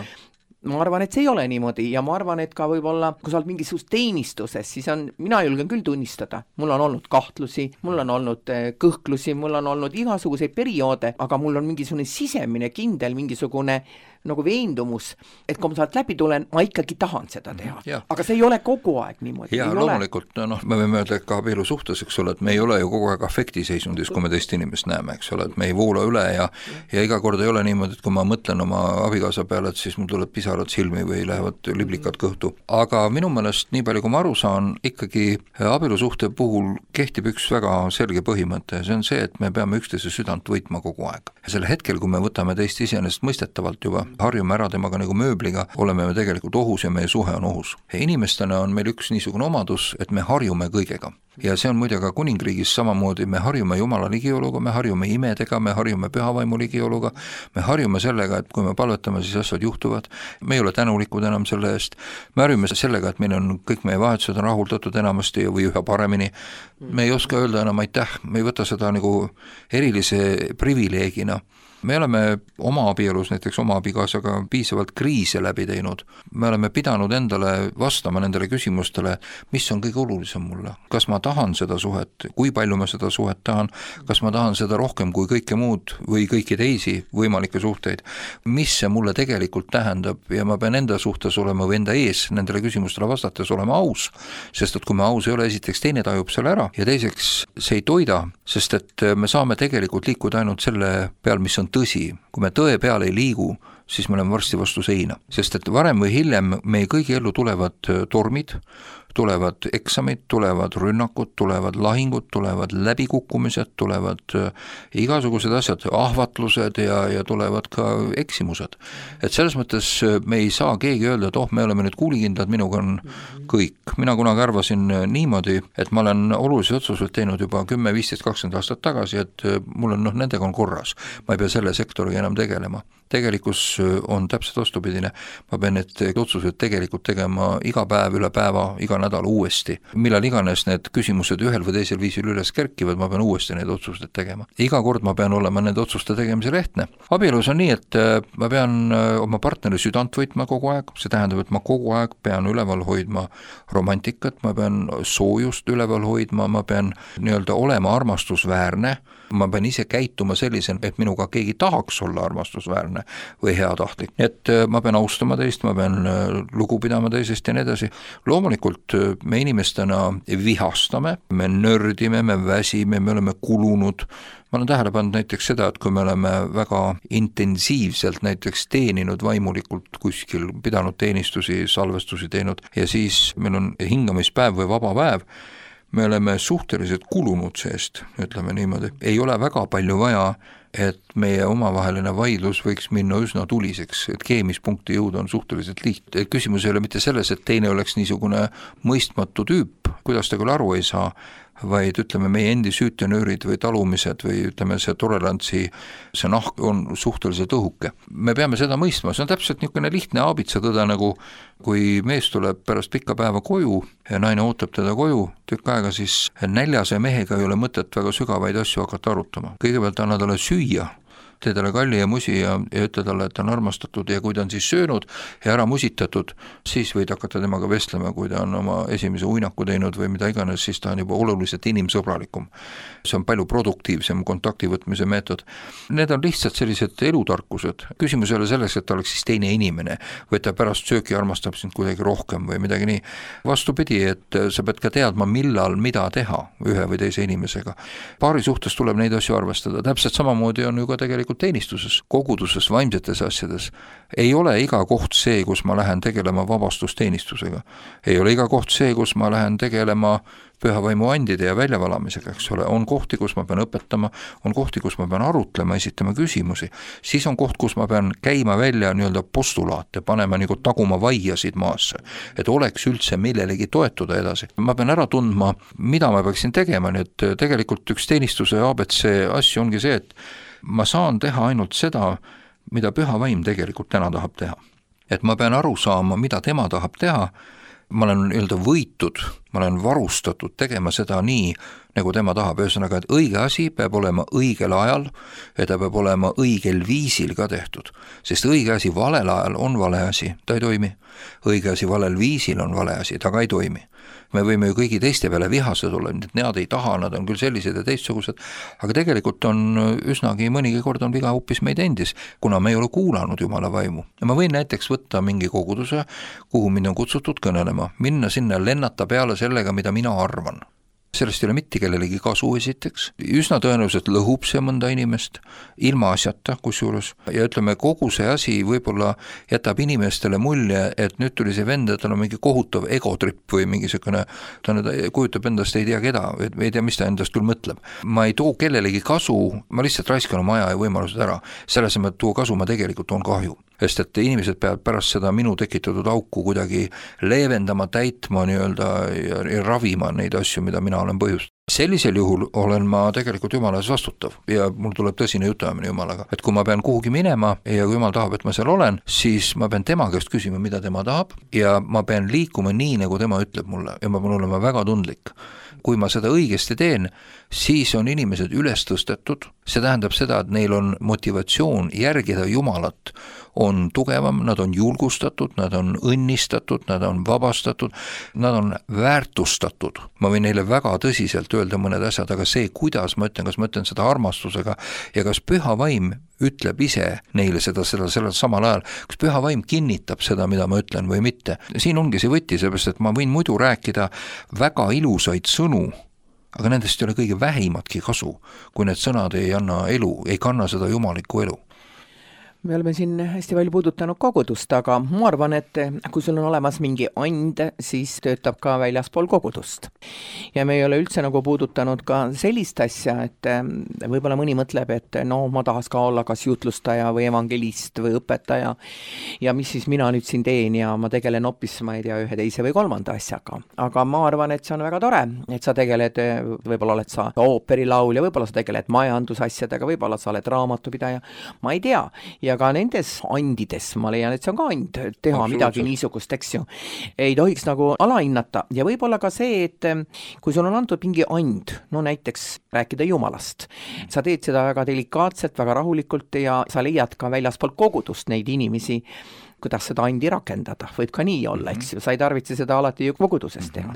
Ma arvan, et see ei ole niimoodi ja ma arvan, et ka võib-olla, kui sa oled mingisugust teenistuses, siis mina julgen küll tunnistada. Mul on olnud kahtlusi, mul on olnud kõhklusi, mul on olnud igasuguseid perioode, aga mul on mingisugune sisemine kindel, mingisugune nagu veendumus, et kui ma sealt läbi tulen, ma ikkagi tahan seda teha. Aga see ei ole kogu aeg niimoodi. Ja loomulikult, me võime öelda ka abielu suhtes, eks ole, et me ei ole ju kogu aeg afektiseisundis, kui me teist inimest näeme, eks ole, et me ei voola üle ja iga kord ei ole niimoodi, et kui ma mõtlen oma abikaasa peale, et siis mul tuleb pisarad silmi või lähevad liblikad kõhtu. Aga minu meelest, nii palju kui ma aru saan, ikkagi abielu suhte puhul kehtib üks väga selge põhimõte, see on see, et me peame üksteise südant võitma kogu aeg. Ja selle hetkel, kui me võtame teist iseenesest mõistetavalt juba, harjume ära temaga nagu mööbliga, oleme me tegelikult ohus ja meie suhe on ohus. Ja inimestena on meil üks niisugune omadus, et me harjume kõigega. Ja see on muide ka kuningriigis samamoodi, me harjume Jumala ligioluga, me harjume imedega, me harjume pühavaimu ligioluga, me harjume sellega, et kui me palvetame, siis asjad juhtuvad, me ei ole tänulikud enam selle eest, me harjume sellega, et meil on kõik meie vahetused on rahuldatud enamasti või üha paremini, me ei oska öelda enam aitäh, me ei võta seda nagu erilise privileegina. Me oleme oma abielus, näiteks oma abikaasaga piisavalt kriise läbi teinud. Me oleme pidanud endale vastama nendele küsimustele, mis on kõige olulisem mulle. Kas ma tahan seda suhet, kui palju ma seda suhet tahan, kas ma tahan seda rohkem kui kõike muud või kõiki teisi võimalikke suhteid, mis see mulle tegelikult tähendab ja ma pean enda suhtes olema või enda ees nendele küsimustele vastates olema aus, sest et kui me aus ei ole, esiteks teine tajub selle ära ja teiseks see ei toida, sest et me saame tegelikult liikuda ainult selle peal, mis on tõsi. Kui me tõe peal ei liigu, siis me oleme varsti vastu seina, sest et varem või hiljem meie kõigi ellu tulevad tormid, tulevad eksamid, tulevad rünnakud, tulevad lahingud, tulevad läbikukkumised, tulevad igasugused asjad, ahvatlused ja tulevad ka eksimused. Et selles mõttes me ei saa keegi öelda, et me oleme nüüd kuulikindlad, minuga on kõik. Mina kunagi arvasin niimoodi, et ma olen olulisi otsuseid teinud juba 10, 15, 20 aastat tagasi, et mul on nendega on korras. Ma ei pea selle sektoriga enam tegelema. Tegelikus on täpselt vastupidine. Ma pean need otsused tegelikult tegema iga päev, üle päeva, iga nädal uuesti. Millal iganes need küsimused ühel või teisel viisil üles kerkivad, ma pean uuesti need otsused tegema. Iga kord ma pean olema need otsuste tegemisel ehtne. Abielus on nii, et ma pean oma partneri südant võitma kogu aeg, see tähendab, et ma kogu aeg pean üleval hoidma romantikat, ma pean soojust üleval hoidma, ma pean nii-öelda olema armastusväärne, ma pean ise käituma sellisel, et minuga keegi tahaks olla armastusväärne või heatahtlik. Et ma pean austama teist, ma pean lugu pidama teisest ja nii edasi. Loomulikult me inimestena vihastame, me nördime, me väsime, me oleme kulunud. Ma olen tähele pannud näiteks seda, et kui me oleme väga intensiivselt näiteks teeninud vaimulikult kuskil, pidanud teenistusi, salvestusi teinud ja siis meil on hingamispäev või vaba päev, me oleme suhteliselt kulunud seest, ütleme niimoodi. Ei ole väga palju vaja, et meie omavaheline vaidlus võiks minna üsna tuliseks, et keemispunkti jõuda on suhteliselt lihtne. Küsimus ei ole mitte selles, et teine oleks niisugune mõistmatu tüüp, kuidas ta küll aru ei saa, vaid ütleme meie endi süütenöörid või talumised või ütleme see tolerantsi, see nahk on suhteliselt õhuke. Me peame seda mõistma, see on täpselt niisugune lihtne aabitsatõde, nagu kui mees tuleb pärast pikka päeva koju ja naine ootab teda koju tükk aega, siis näljase mehega ei ole mõtet väga sügavaid asju hakata arutama. Kõigepealt anna talle süüa, tee talle kalli ja musi ja ütle talle, et ta on armastatud ja kui ta on siis söönud ja ära musitatud, siis võid hakata temaga vestlema, kui ta on oma esimese uinaku teinud või mida iganes, siis ta on juba oluliselt inimsõbralikum. See on palju produktiivsem kontakti võtmise meetod. Need on lihtsalt sellised elutarkused. Küsimus ei ole selles, et ta oleks siis teine inimene või ta pärast sööki armastab sind kuidagi rohkem või midagi nii. Vastupidi, et sa pead ka teadma, millal mida teha ühe või teise inimesega. Paari suhtes tuleb neid asju arvestada. Täpselt samamoodi on ju ka tegelikult teenistuses, koguduses, vaimsetes asjades. Ei ole iga koht see, kus ma lähen tegelema vabastusteenistusega. Ei ole iga koht see, kus ma lähen tegelema pühavaimu andide ja väljavalamisega, eks ole. On kohti, kus ma pean õpetama, on kohti, kus ma pean arutlema, esitama küsimusi. Siis on koht, kus ma pean käima välja nii-öelda postulaate, panema nagu taguma vaiasid maasse, et oleks üldse millelegi toetuda edasi. Ma pean ära tundma, mida ma peaksin tegema, nii et tegelikult üks teenistuse ABC asju ongi see, et ma saan teha ainult seda, mida püha vaim tegelikult täna tahab teha. Et ma pean aru saama, mida tema tahab teha, ma olen nii-öelda võitud, ma olen varustatud tegema seda nii, nagu tema tahab, ühesõnaga, et õige asi peab olema õigel ajal ja ta peab olema õigel viisil ka tehtud, sest õige asi valel ajal on vale asi, ta ei toimi. Õige asi valel viisil on vale asi, ta ka ei toimi. Me võime ju kõigi teiste peale vihased olla, et nad ei taha, nad on küll sellised ja teistsugused, aga tegelikult on üsnagi mõnigi kord on viga hoopis meid endis, kuna me ei ole kuulanud Jumala vaimu. Ja ma võin näiteks võtta mingi koguduse, kuhu mind on kutsutud kõnelema, minna sinna lennata peale sellega, mida mina arvan. Sellest ei ole mitte kellelegi kasu esiteks, üsna tõenäoliselt lõhub see mõnda inimest, ilma asjata kusjuures, ja ütleme, kogu see asi võib-olla jätab inimestele mulje, et nüüd tuli see vend, et tal on mingi kohutav egotripp või mingisugune, ta kujutab endast ei tea keda, ei tea, mis ta endast küll mõtleb. Ma ei too kellelegi kasu, ma lihtsalt raiskan oma aja ja võimalused ära, selles mõttes tuo kasu ma tegelikult toon kahju. Sest et inimesed peavad pärast seda minu tekitatud auku kuidagi leevendama, täitma nii-öelda ja ravima neid asju, mida mina olen põhjust. Sellisel juhul olen ma tegelikult Jumalas vastutav ja mul tuleb tõsine jutamine Jumalaga, et kui ma pean kuhugi minema ja kui Jumal tahab, et ma seal olen, siis ma pean tema käest küsima, mida tema tahab ja ma pean liikuma nii, nagu tema ütleb mulle ja ma pean olema väga tundlik. Kui ma seda õigesti teen, siis on inimesed üles tõstetud, see tähendab seda, et neil on motivatsioon järgida Jumalat, on tugevam, nad on julgustatud, nad on õnnistatud, nad on vabastatud, nad on väärtustatud. Ma võin neile väga tõsiselt öelda mõned asjad, aga see, kuidas ma ütlen, kas ma ütlen seda armastusega ja kas püha vaim ütleb ise neile seda samal ajal, kas püha vaim kinnitab seda, mida ma ütlen või mitte. Siin ongi see võti, seepärast, et ma võin muidu rääkida väga ilusaid sõnu, aga nendest ei ole kõige vähimatki kasu, kui need sõnad ei anna elu, ei kanna seda jumalikku elu. me oleme siin hästi palju puudutanud kogudust, aga ma arvan, et kui sul on olemas mingi and, siis töötab ka väljaspool kogudust. Ja me ei ole üldse nagu puudutanud ka sellist asja, et võib-olla mõni mõtleb, et no ma tahaks ka olla kas jutlustaja või evangelist või õpetaja ja mis siis mina nüüd siin teen ja ma tegelen hoopis, ma ei tea, ühe teise või kolmanda asjaga. Aga ma arvan, et see on väga tore, et sa tegeled, võib-olla oled sa ooperilaulja, võib-olla sa tegeled majandusasjadega, võib-olla sa oled raamatupidaja, ma ei tea. Ja ka nendes andides, ma leian, et see on ka and, teha midagi niisugust, eks ju. Ei tohiks nagu alahinnata ja võib-olla ka see, et kui sul on antud mingi and, no näiteks rääkida Jumalast, sa teed seda väga delikaatselt, väga rahulikult ja sa leiad ka väljaspool kogudust neid inimesi, kuidas seda andi rakendada, võib ka nii olla, eks ju, sa ei tarvitse seda alati ju koguduses teha.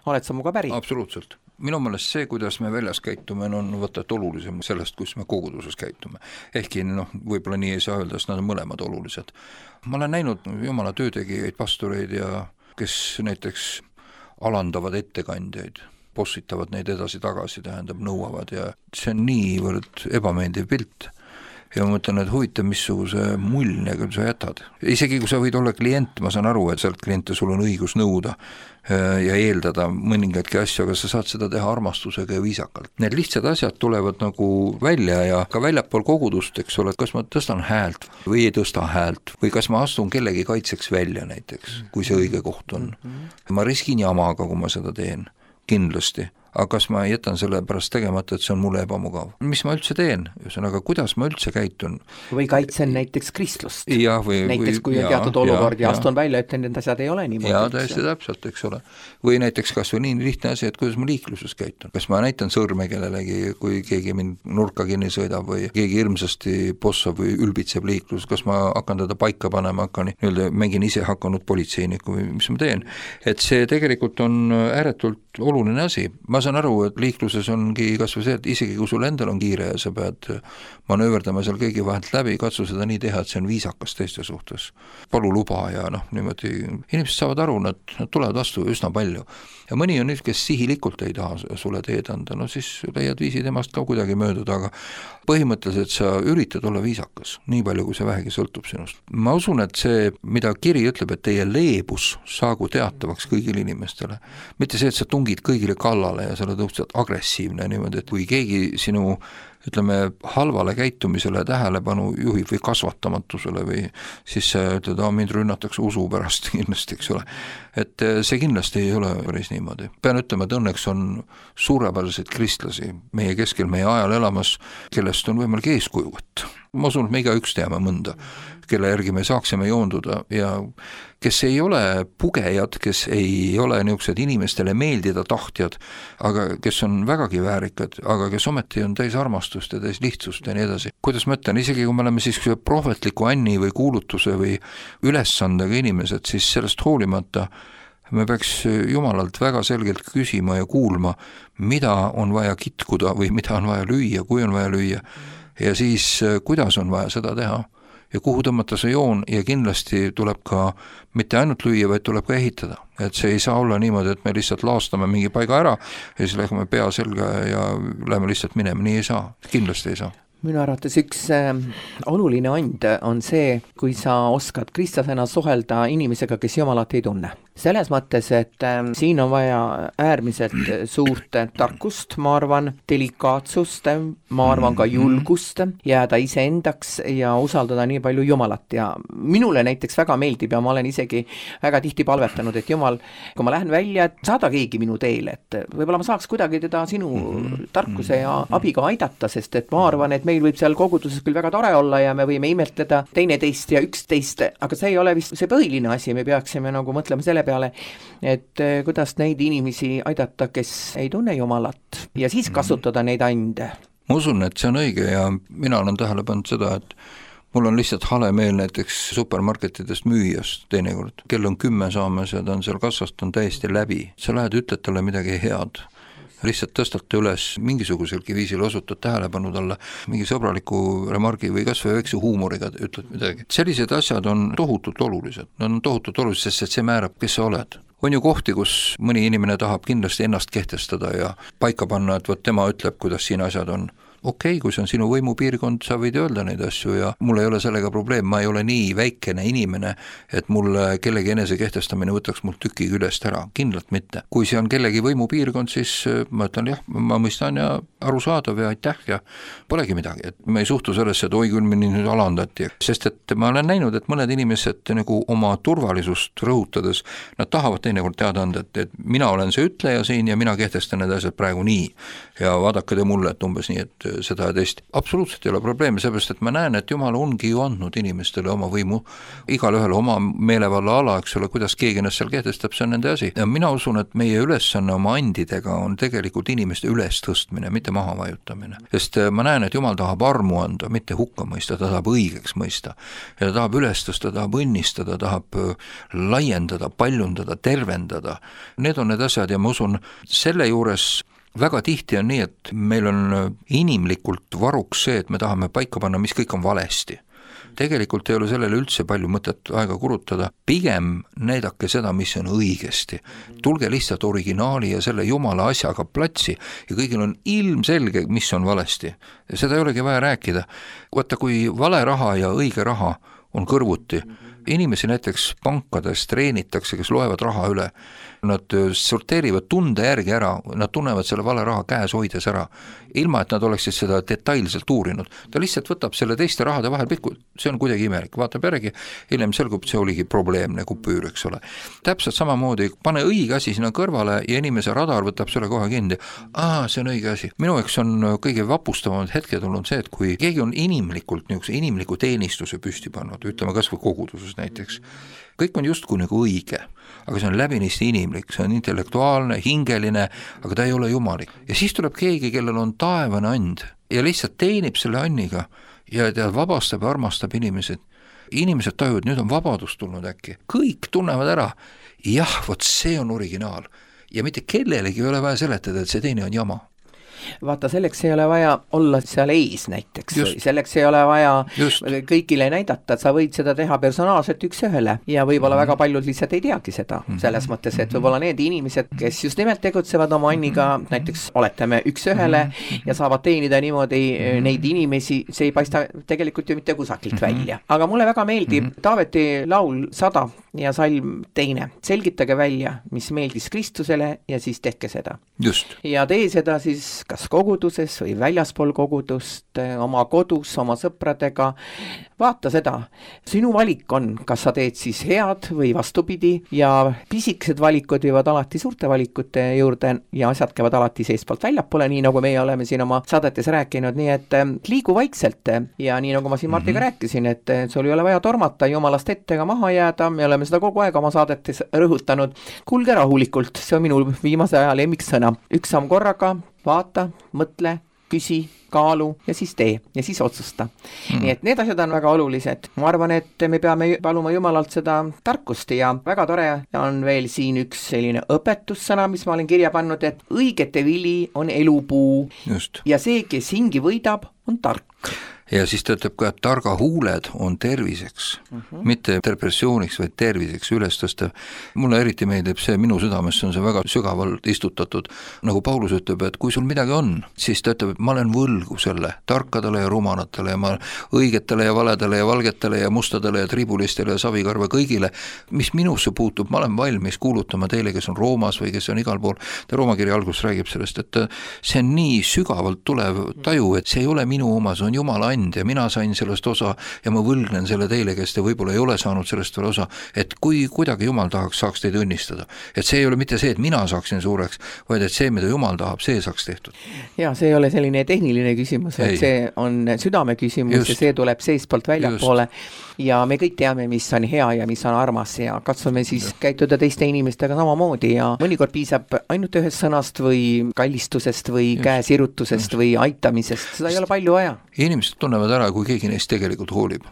Oled sa muga päri? Absoluutselt. Minu meelest see, kuidas me väljas käitume, on võtta olulisem sellest, kus me koguduses käitume. Ehkki võib-olla nii ei saa öelda, sest nad on mõlemad olulised. Ma olen näinud Jumala töötegijaid, pastoreid ja kes näiteks alandavad ettekandjaid, bossitavad neid edasi-tagasi, tähendab, nõuavad ja see on niivõrd ebameeldiv pilt. Ja ma mõtlen, et huvitav, missuguse mulje küll sa jätad. Isegi kui sa võid olla klient, ma saan aru, et sealt kliente sul on õigus nõuda ja eeldada mõningadki asju, aga sa saad seda teha armastusega ja viisakalt. Need lihtsad asjad tulevad nagu välja ja ka väljapool kogudust, eks ole, kas ma tõstan häält või ei tõsta häält või kas ma astun kellegi kaitseks välja näiteks, kui see õige koht on. Ma riskin jamaga, kui ma seda teen, kindlasti. Aga kas ma jätan selle pärast tegemata, et see on mulle ebamugav? Mis ma üldse teen? Ühesõnaga, kuidas ma üldse käitun? Või kaitsen näiteks kristlust. Näiteks kui on teatud olukord ja astun välja, et need asjad ei ole niimoodi. Jaa, täiesti täpselt, eks ole. Või näiteks kas või nii lihtne asi, et kuidas ma liikluses käitun. Kas ma näitan sõrme kellelegi, kui keegi mind nurka kinni sõidab või keegi hirmsasti bossab või ülbitseb liiklus, kas ma hakkan teda paika panema, mängin ise hakanud politseiniku või mis ma teen. Et see tegelikult on ääretult oluline asi. Ma saan aru, et liikluses ongi kas või see, et isegi kui sul endal on kiire ja sa pead manööverdama seal kõigi vahelt läbi, katsu seda nii teha, et see on viisakas teiste suhtes. Palu luba ja niimoodi. Inimesed saavad aru, nad tulevad vastu üsna palju. Ja mõni on nüüd, kes sihilikult ei taha sulle teed anda, siis leiad viisi temast ka kuidagi mööduda, aga põhimõtteliselt sa üritad olla viisakas, nii palju, kui see vähegi sõltub sinust. Ma usun, et see, mida kiri ütleb, et teie leebus saagu teatavaks kõigile inimestele, mitte see, et sa tungid kõigile kallale ja sa oled õudselt agressiivne niimoodi, et kui keegi sinu halvale käitumisele tähelepanu juhib või kasvatamatusele või siis sa ütled, mind rünnatakse usu pärast kindlasti, eks ole. Et see kindlasti ei ole päris niimoodi. Pean ütlema, et õnneks on suurepäraseid kristlasi meie keskel, meie ajal elamas, kellest on võimalik eeskuju võtta. Ma usun, et me igaüks teame mõnda, kelle järgi me saaksime joonduda ja kes ei ole pugejad, kes ei ole niisugused inimestele meeldida tahtjad, aga kes on vägagi väärikad, aga kes ometi on täis armastust ja täis lihtsust ja nii edasi. Kuidas ma ütlen, isegi kui me oleme siis prohvetliku anni või kuulutuse või ülesandega inimesed, siis sellest hoolimata me peaks Jumalalt väga selgelt küsima ja kuulma, mida on vaja kitkuda või mida on vaja lüüa, kui on vaja lüüa ja siis kuidas on vaja seda teha ja kuhu tõmmata see joon ja kindlasti tuleb ka mitte ainult lüüa, vaid tuleb ka ehitada. Et see ei saa olla niimoodi, et me lihtsalt laastame mingi paiga ära ja siis läheme pea selga ja läheme lihtsalt minema, nii ei saa, kindlasti ei saa. Minu arvates üks oluline and on see, kui sa oskad kristlasena suhelda inimesega, kes Jumalat ei tunne. Selles mõttes, et siin on vaja äärmiselt suurt tarkust, ma arvan, delikaatsust, ma arvan ka julgust, jääda iseendaks ja usaldada nii palju Jumalat ja minule näiteks väga meeldib ja ma olen isegi väga tihti palvetanud, et Jumal, kui ma lähen välja, et saada keegi minu teele, et võib-olla ma saaks kuidagi teda sinu tarkuse ja abiga aidata, sest et ma arvan, et meil võib seal koguduses küll väga tore olla ja me võime imetleda teineteist ja üksteist, aga see ei ole vist see põhiline asi, me peaksime nagu mõtlema selle peale, et kuidas neid inimesi aidata, kes ei tunne Jumalat ja siis kasutada neid ande. Ma usun, et see on õige ja mina olen tähele pannud seda, et mul on lihtsalt hale meel näiteks supermarketidest müüjast teinekord. Kell on 10 saamas ja ta on seal kassast, on täiesti läbi. Sa lähed, ütled talle midagi head. Lihtsalt tõstate üles mingisuguselgi viisil osutad tähelepanu talle mingi sõbraliku remargi või kas või väikse huumoriga ütled midagi. Sellised asjad on tohutult olulised. Nad on tohutult olulised, sest see määrab, kes sa oled. On ju kohti, kus mõni inimene tahab kindlasti ennast kehtestada ja paika panna, et võt tema ütleb, kuidas siin asjad on. okei, kui see on sinu võimupiirkond, sa võid öelda neid asju ja mul ei ole sellega probleem, ma ei ole nii väikene inimene, et mulle kellegi enese kehtestamine võtaks mul tüki küljest ära, kindlalt mitte. Kui see on kellegi võimupiirkond, siis ma ütlen jah, ma mõistan ja arusaadav ja aitäh ja polegi midagi, et me ei suhtu sellesse, et oi küll, mind nüüd alandati, sest et ma olen näinud, et mõned inimesed nagu oma turvalisust rõhutades, nad tahavad teinekord teada anda, et mina olen see ütleja siin ja mina kehtestan need asjad praegu nii ja vaadake te mulle, et umbes nii, et seda ja teist. Absoluutselt ei ole probleemi, seepärast, et ma näen, et Jumal ongi ju andnud inimestele oma võimu, igal ühele oma meelevalla ala, eks ole, kuidas keegi ennast seal kehtestab, see on nende asi. Ja mina usun, et meie ülesanne oma andidega on tegelikult inimeste üles tõstmine, mitte maha vajutamine. Sest ma näen, et Jumal tahab armu anda, mitte hukka mõista, ta tahab õigeks mõista. Ja ta tahab üles tõsta, tahab õnnistada, tahab laiendada, paljundada, tervendada. Need on need asjad ja ma usun, selle juures väga tihti on nii, et meil on inimlikult varuks see, et me tahame paika panna, mis kõik on valesti. Tegelikult ei ole sellele üldse palju mõtet aega kulutada, pigem näidake seda, mis on õigesti. Tulge lihtsalt originaali ja selle Jumala asjaga platsi ja kõigil on ilmselge, mis on valesti. Seda ei olegi vaja rääkida. Vaata, kui vale raha ja õige raha on kõrvuti, inimesi näiteks pankades treenitakse, kes loevad raha üle, nad sorteerivad tunde järgi ära, nad tunnevad selle vale raha käes hoides ära, ilma et nad oleksid seda detailselt uurinud. Ta lihtsalt võtab selle teiste rahade vahel pikku, see on kuidagi imelik, vaatab järgi, hiljem selgub, see oligi probleemne kupüür, eks ole. Täpselt samamoodi, pane õige asi sinna kõrvale ja inimese radar võtab selle kohe kinni. See on õige asi. Minu jaoks on kõige vapustavamad hetke tulnud see, et kui keegi on inimlikult inimliku teenistuse püsti pannud, ütleme kas või koguduses näiteks, kõik on justkui nagu õige, aga see on läbinisti inimlik, see on intellektuaalne, hingeline, aga ta ei ole jumalik. Ja siis tuleb keegi, kellel on taevane and ja lihtsalt teenib selle anniga ja ta vabastab ja armastab inimesed. Inimesed tajuvad, nüüd on vabadus tulnud äkki. Kõik tunnevad ära, jah, vot see on originaal ja mitte kellelegi ei ole vaja seletada, et see teine on jama. Vaata, selleks ei ole vaja olla seal ees näiteks, selleks ei ole vaja kõigile näidata, et sa võid seda teha personaalselt üks ühele ja võib-olla väga paljud lihtsalt ei teagi seda, selles mõttes, et võib-olla need inimesed, kes just nimelt tegutsevad oma anniga, näiteks oletame üks ühele ja saavad teenida niimoodi neid inimesi, see ei paista tegelikult ju mitte kusagilt välja. Aga mulle väga meeldib Taaveti laul 100 ja salm 2. Selgitage välja, mis meeldis Kristusele ja siis tehke seda. Just. Ja tee seda siis kas koguduses või väljaspool kogudust, oma kodus, oma sõpradega. Vaata seda, sinu valik on, kas sa teed siis head või vastupidi ja pisikesed valikud viivad alati suurte valikute juurde ja asjad käivad alati seestpoolt väljapoole, nii nagu meie oleme siin oma saadetes rääkinud, nii et liigu vaikselt ja nii nagu ma siin Martiga rääkisin, et sul ei ole vaja tormata Jumalast ette ega maha jääda, me oleme seda kogu aeg oma saadetes rõhutanud. Kulge rahulikult, see on minu viimase aja lemmiksõna, üks samm korraga, vaata, mõtle, küsi, kaalu ja siis tee ja siis otsusta. Nii et need asjad on väga olulised. Ma arvan, et me peame paluma Jumalalt seda tarkust ja väga tore on veel siin üks selline õpetussõna, mis ma olen kirja pannud, et õigete vili on elupuu. Just. Ja see, kes hingi võidab, on tark. Ja siis ta ütleb ka, et targa huuled on terviseks, mitte depressiooniks, vaid terviseks üles tõstev. Mulle eriti meeldib see, minu südamesse on see väga sügavalt istutatud. Nagu Paulus ütleb, et kui sul midagi on, siis ta ütleb, et ma olen võlgu selle tarkadele ja rumalatele ja ma õigetele ja valedele ja valgetele ja mustadele ja tribulistele ja savikarva kõigile, mis minusse puutub, ma olen valmis kuulutama teile, kes on Roomas või kes on igal pool. Ta Roomakirja algus räägib sellest, et see on nii sügavalt tulev taju, et see ei ole minu oma, see on Jumala and ja mina sain sellest osa ja ma võlgnen selle teile, kes te võib-olla ei ole saanud sellest veel osa, et kui kuidagi Jumal saaks teid õnnistada. Et see ei ole mitte see, et mina saaksin suureks, vaid et see, mida Jumal tahab, see saaks tehtud. Ja see ei ole selline tehniline küsimus, et see on südame küsimus ja see tuleb seestpoolt väljapoole ja me kõik teame, mis on hea ja mis on armas ja katsume siis käituda teiste inimestega samamoodi ja mõnikord piisab ainult ühest sõnast või kallistusest või käesirutusest või aitamisest, seda ei ole palju vaja. Inimesed tunnevad ära, kui keegi neist tegelikult hoolib.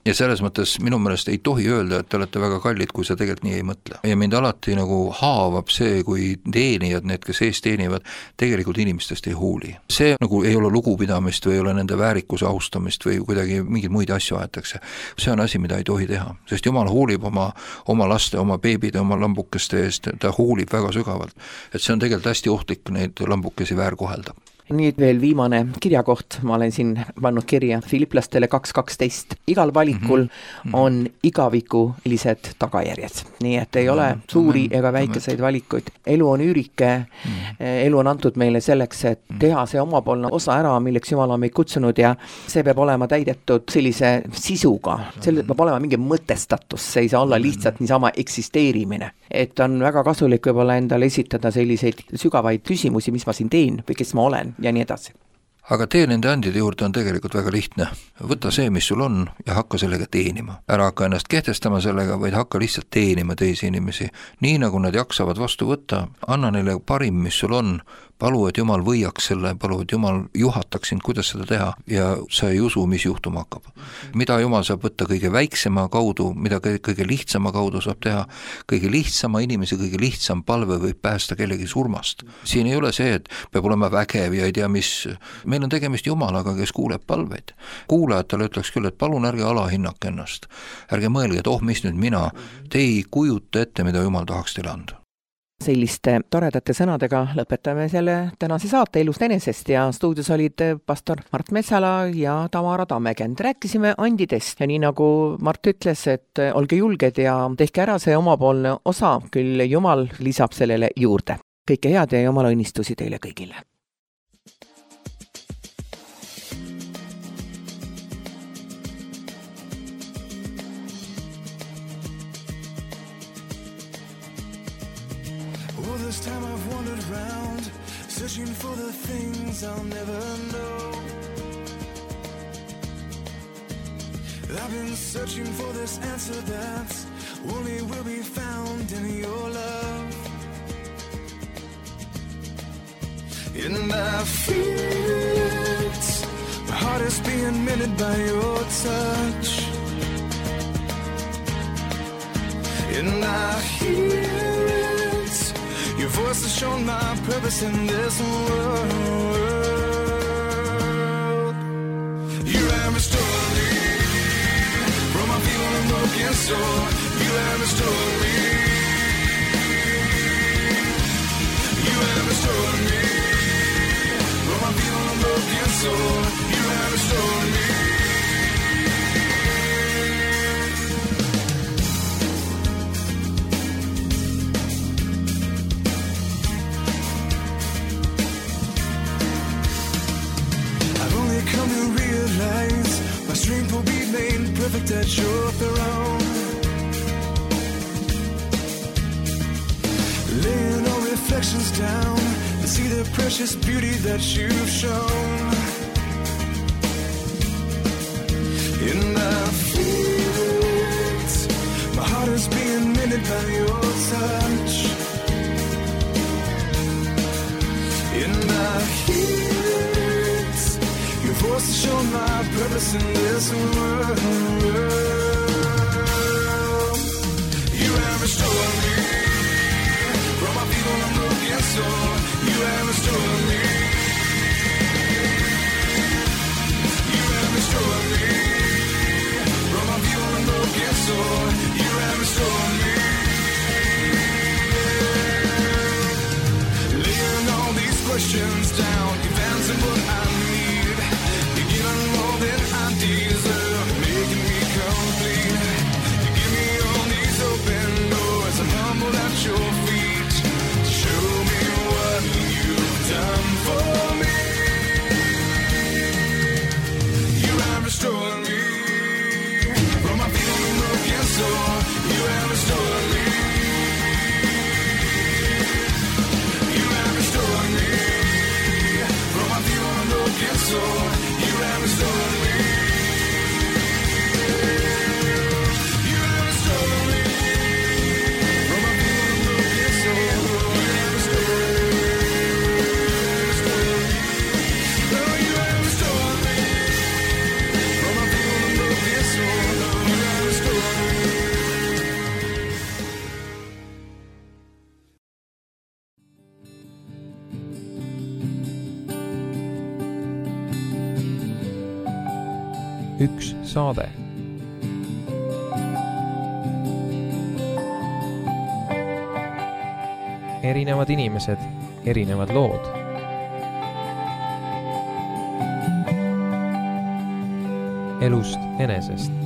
Ja selles mõttes minu meelest ei tohi öelda, et te olete väga kallid, kui sa tegelikult nii ei mõtle. Ja mind alati nagu haavab see, kui teenijad, need, kes ees teenivad, tegelikult inimestest ei hooli. See nagu ei ole lugupidamist või ei ole nende väärikuse austamist või kuidagi mingeid muid asju aetakse. See on asi, mida ei tohi teha, sest Jumal hoolib oma laste, oma beebide, oma lambukeste eest, ta hoolib väga sügavalt. Et see on tegelikult hästi ohtlik neid lambukesi väärkohelda. Nüüd veel viimane kirjakoht, ma olen siin pannud kirja Filiplastele 2.12. Igal valikul on igavikulised tagajärjed, nii et ei ole suuri ega väikeseid valikuid. Elu on üürike, elu on antud meile selleks, et teha see omapoolne osa ära, milleks Jumal on meid kutsunud ja see peab olema täidetud sellise sisuga, selle peab olema mingi mõtestatus, see ei saa olla lihtsalt niisama eksisteerimine. Et on väga kasulik võib-olla endale esitada selliseid sügavaid küsimusi, mis ma siin teen või kes ma olen ja nii edasi. Aga tee nende andide juurde on tegelikult väga lihtne. Võta see, mis sul on ja hakka sellega teenima. Ära hakka ennast kehtestama sellega, vaid hakka lihtsalt teenima teisi inimesi. Nii nagu nad jaksavad vastu võtta, anna neile parim, mis sul on, palu, et Jumal võiaks selle, palu, et Jumal juhataks sind, kuidas seda teha ja sa ei usu, mis juhtuma hakkab. Mida Jumal saab võtta kõige väiksema kaudu, mida kõige lihtsama kaudu saab teha, kõige lihtsama inimese, kõige lihtsam palve võib päästa kellegi surmast. Siin ei ole see, et peab olema vägev ja ei tea mis. Meil on tegemist Jumalaga, kes kuuleb palveid. Kuulajatele ütleks küll, et palun ärge alahinnake ennast. Ärge mõelge, et mis nüüd mina, te ei kujuta ette, mida Jumal tahaks teile anda. Selliste toredate sõnadega lõpetame selle tänase saate Elust enesest ja stuudios olid pastor Mart Metsala ja Tamara Tammekend. Rääkisime andidest ja nii nagu Mart ütles, et olge julged ja tehke ära see omapoolne osa, küll Jumal lisab sellele juurde. Kõike head ja Jumala õnnistusi teile kõigile. This time I've wandered round, searching for the things I'll never know. I've been searching for this answer that only will be found in your love. And I feel it, my heart is being mended by your touch. And I hear it, your voice has shown my purpose in this world. You have restored me from my feeble and broken soul. You have restored me. You have restored me from my feeble and broken soul. You have restored me. My strength will be made perfect at your throne. Laying all reflections down to see the precious beauty that you've shown. And I feel it, my heart is being mended by your touch. And I hear it, your voice has shown my purpose in this world. You have restored me from my feeble and broken soul. You have restored me. You have restored me from my feeble and broken soul. You have restored me. Laying all these questions down, you've answered what I need. You're giving more than I deserve, making me complete. You give me all these open doors, I'm humbled at your feet. Show me what you've done for me. You have restored me from my feeble and broken soul. You have restored me. You have restored me from my feeble and broken soul. You have restored me. You have restored me from my feeble and broken soul. You have restored me. Oh, you have restored me from my feeble and broken soul. You have restored me. Üks saade. Erinevad inimesed, erinevad lood. elust enesest.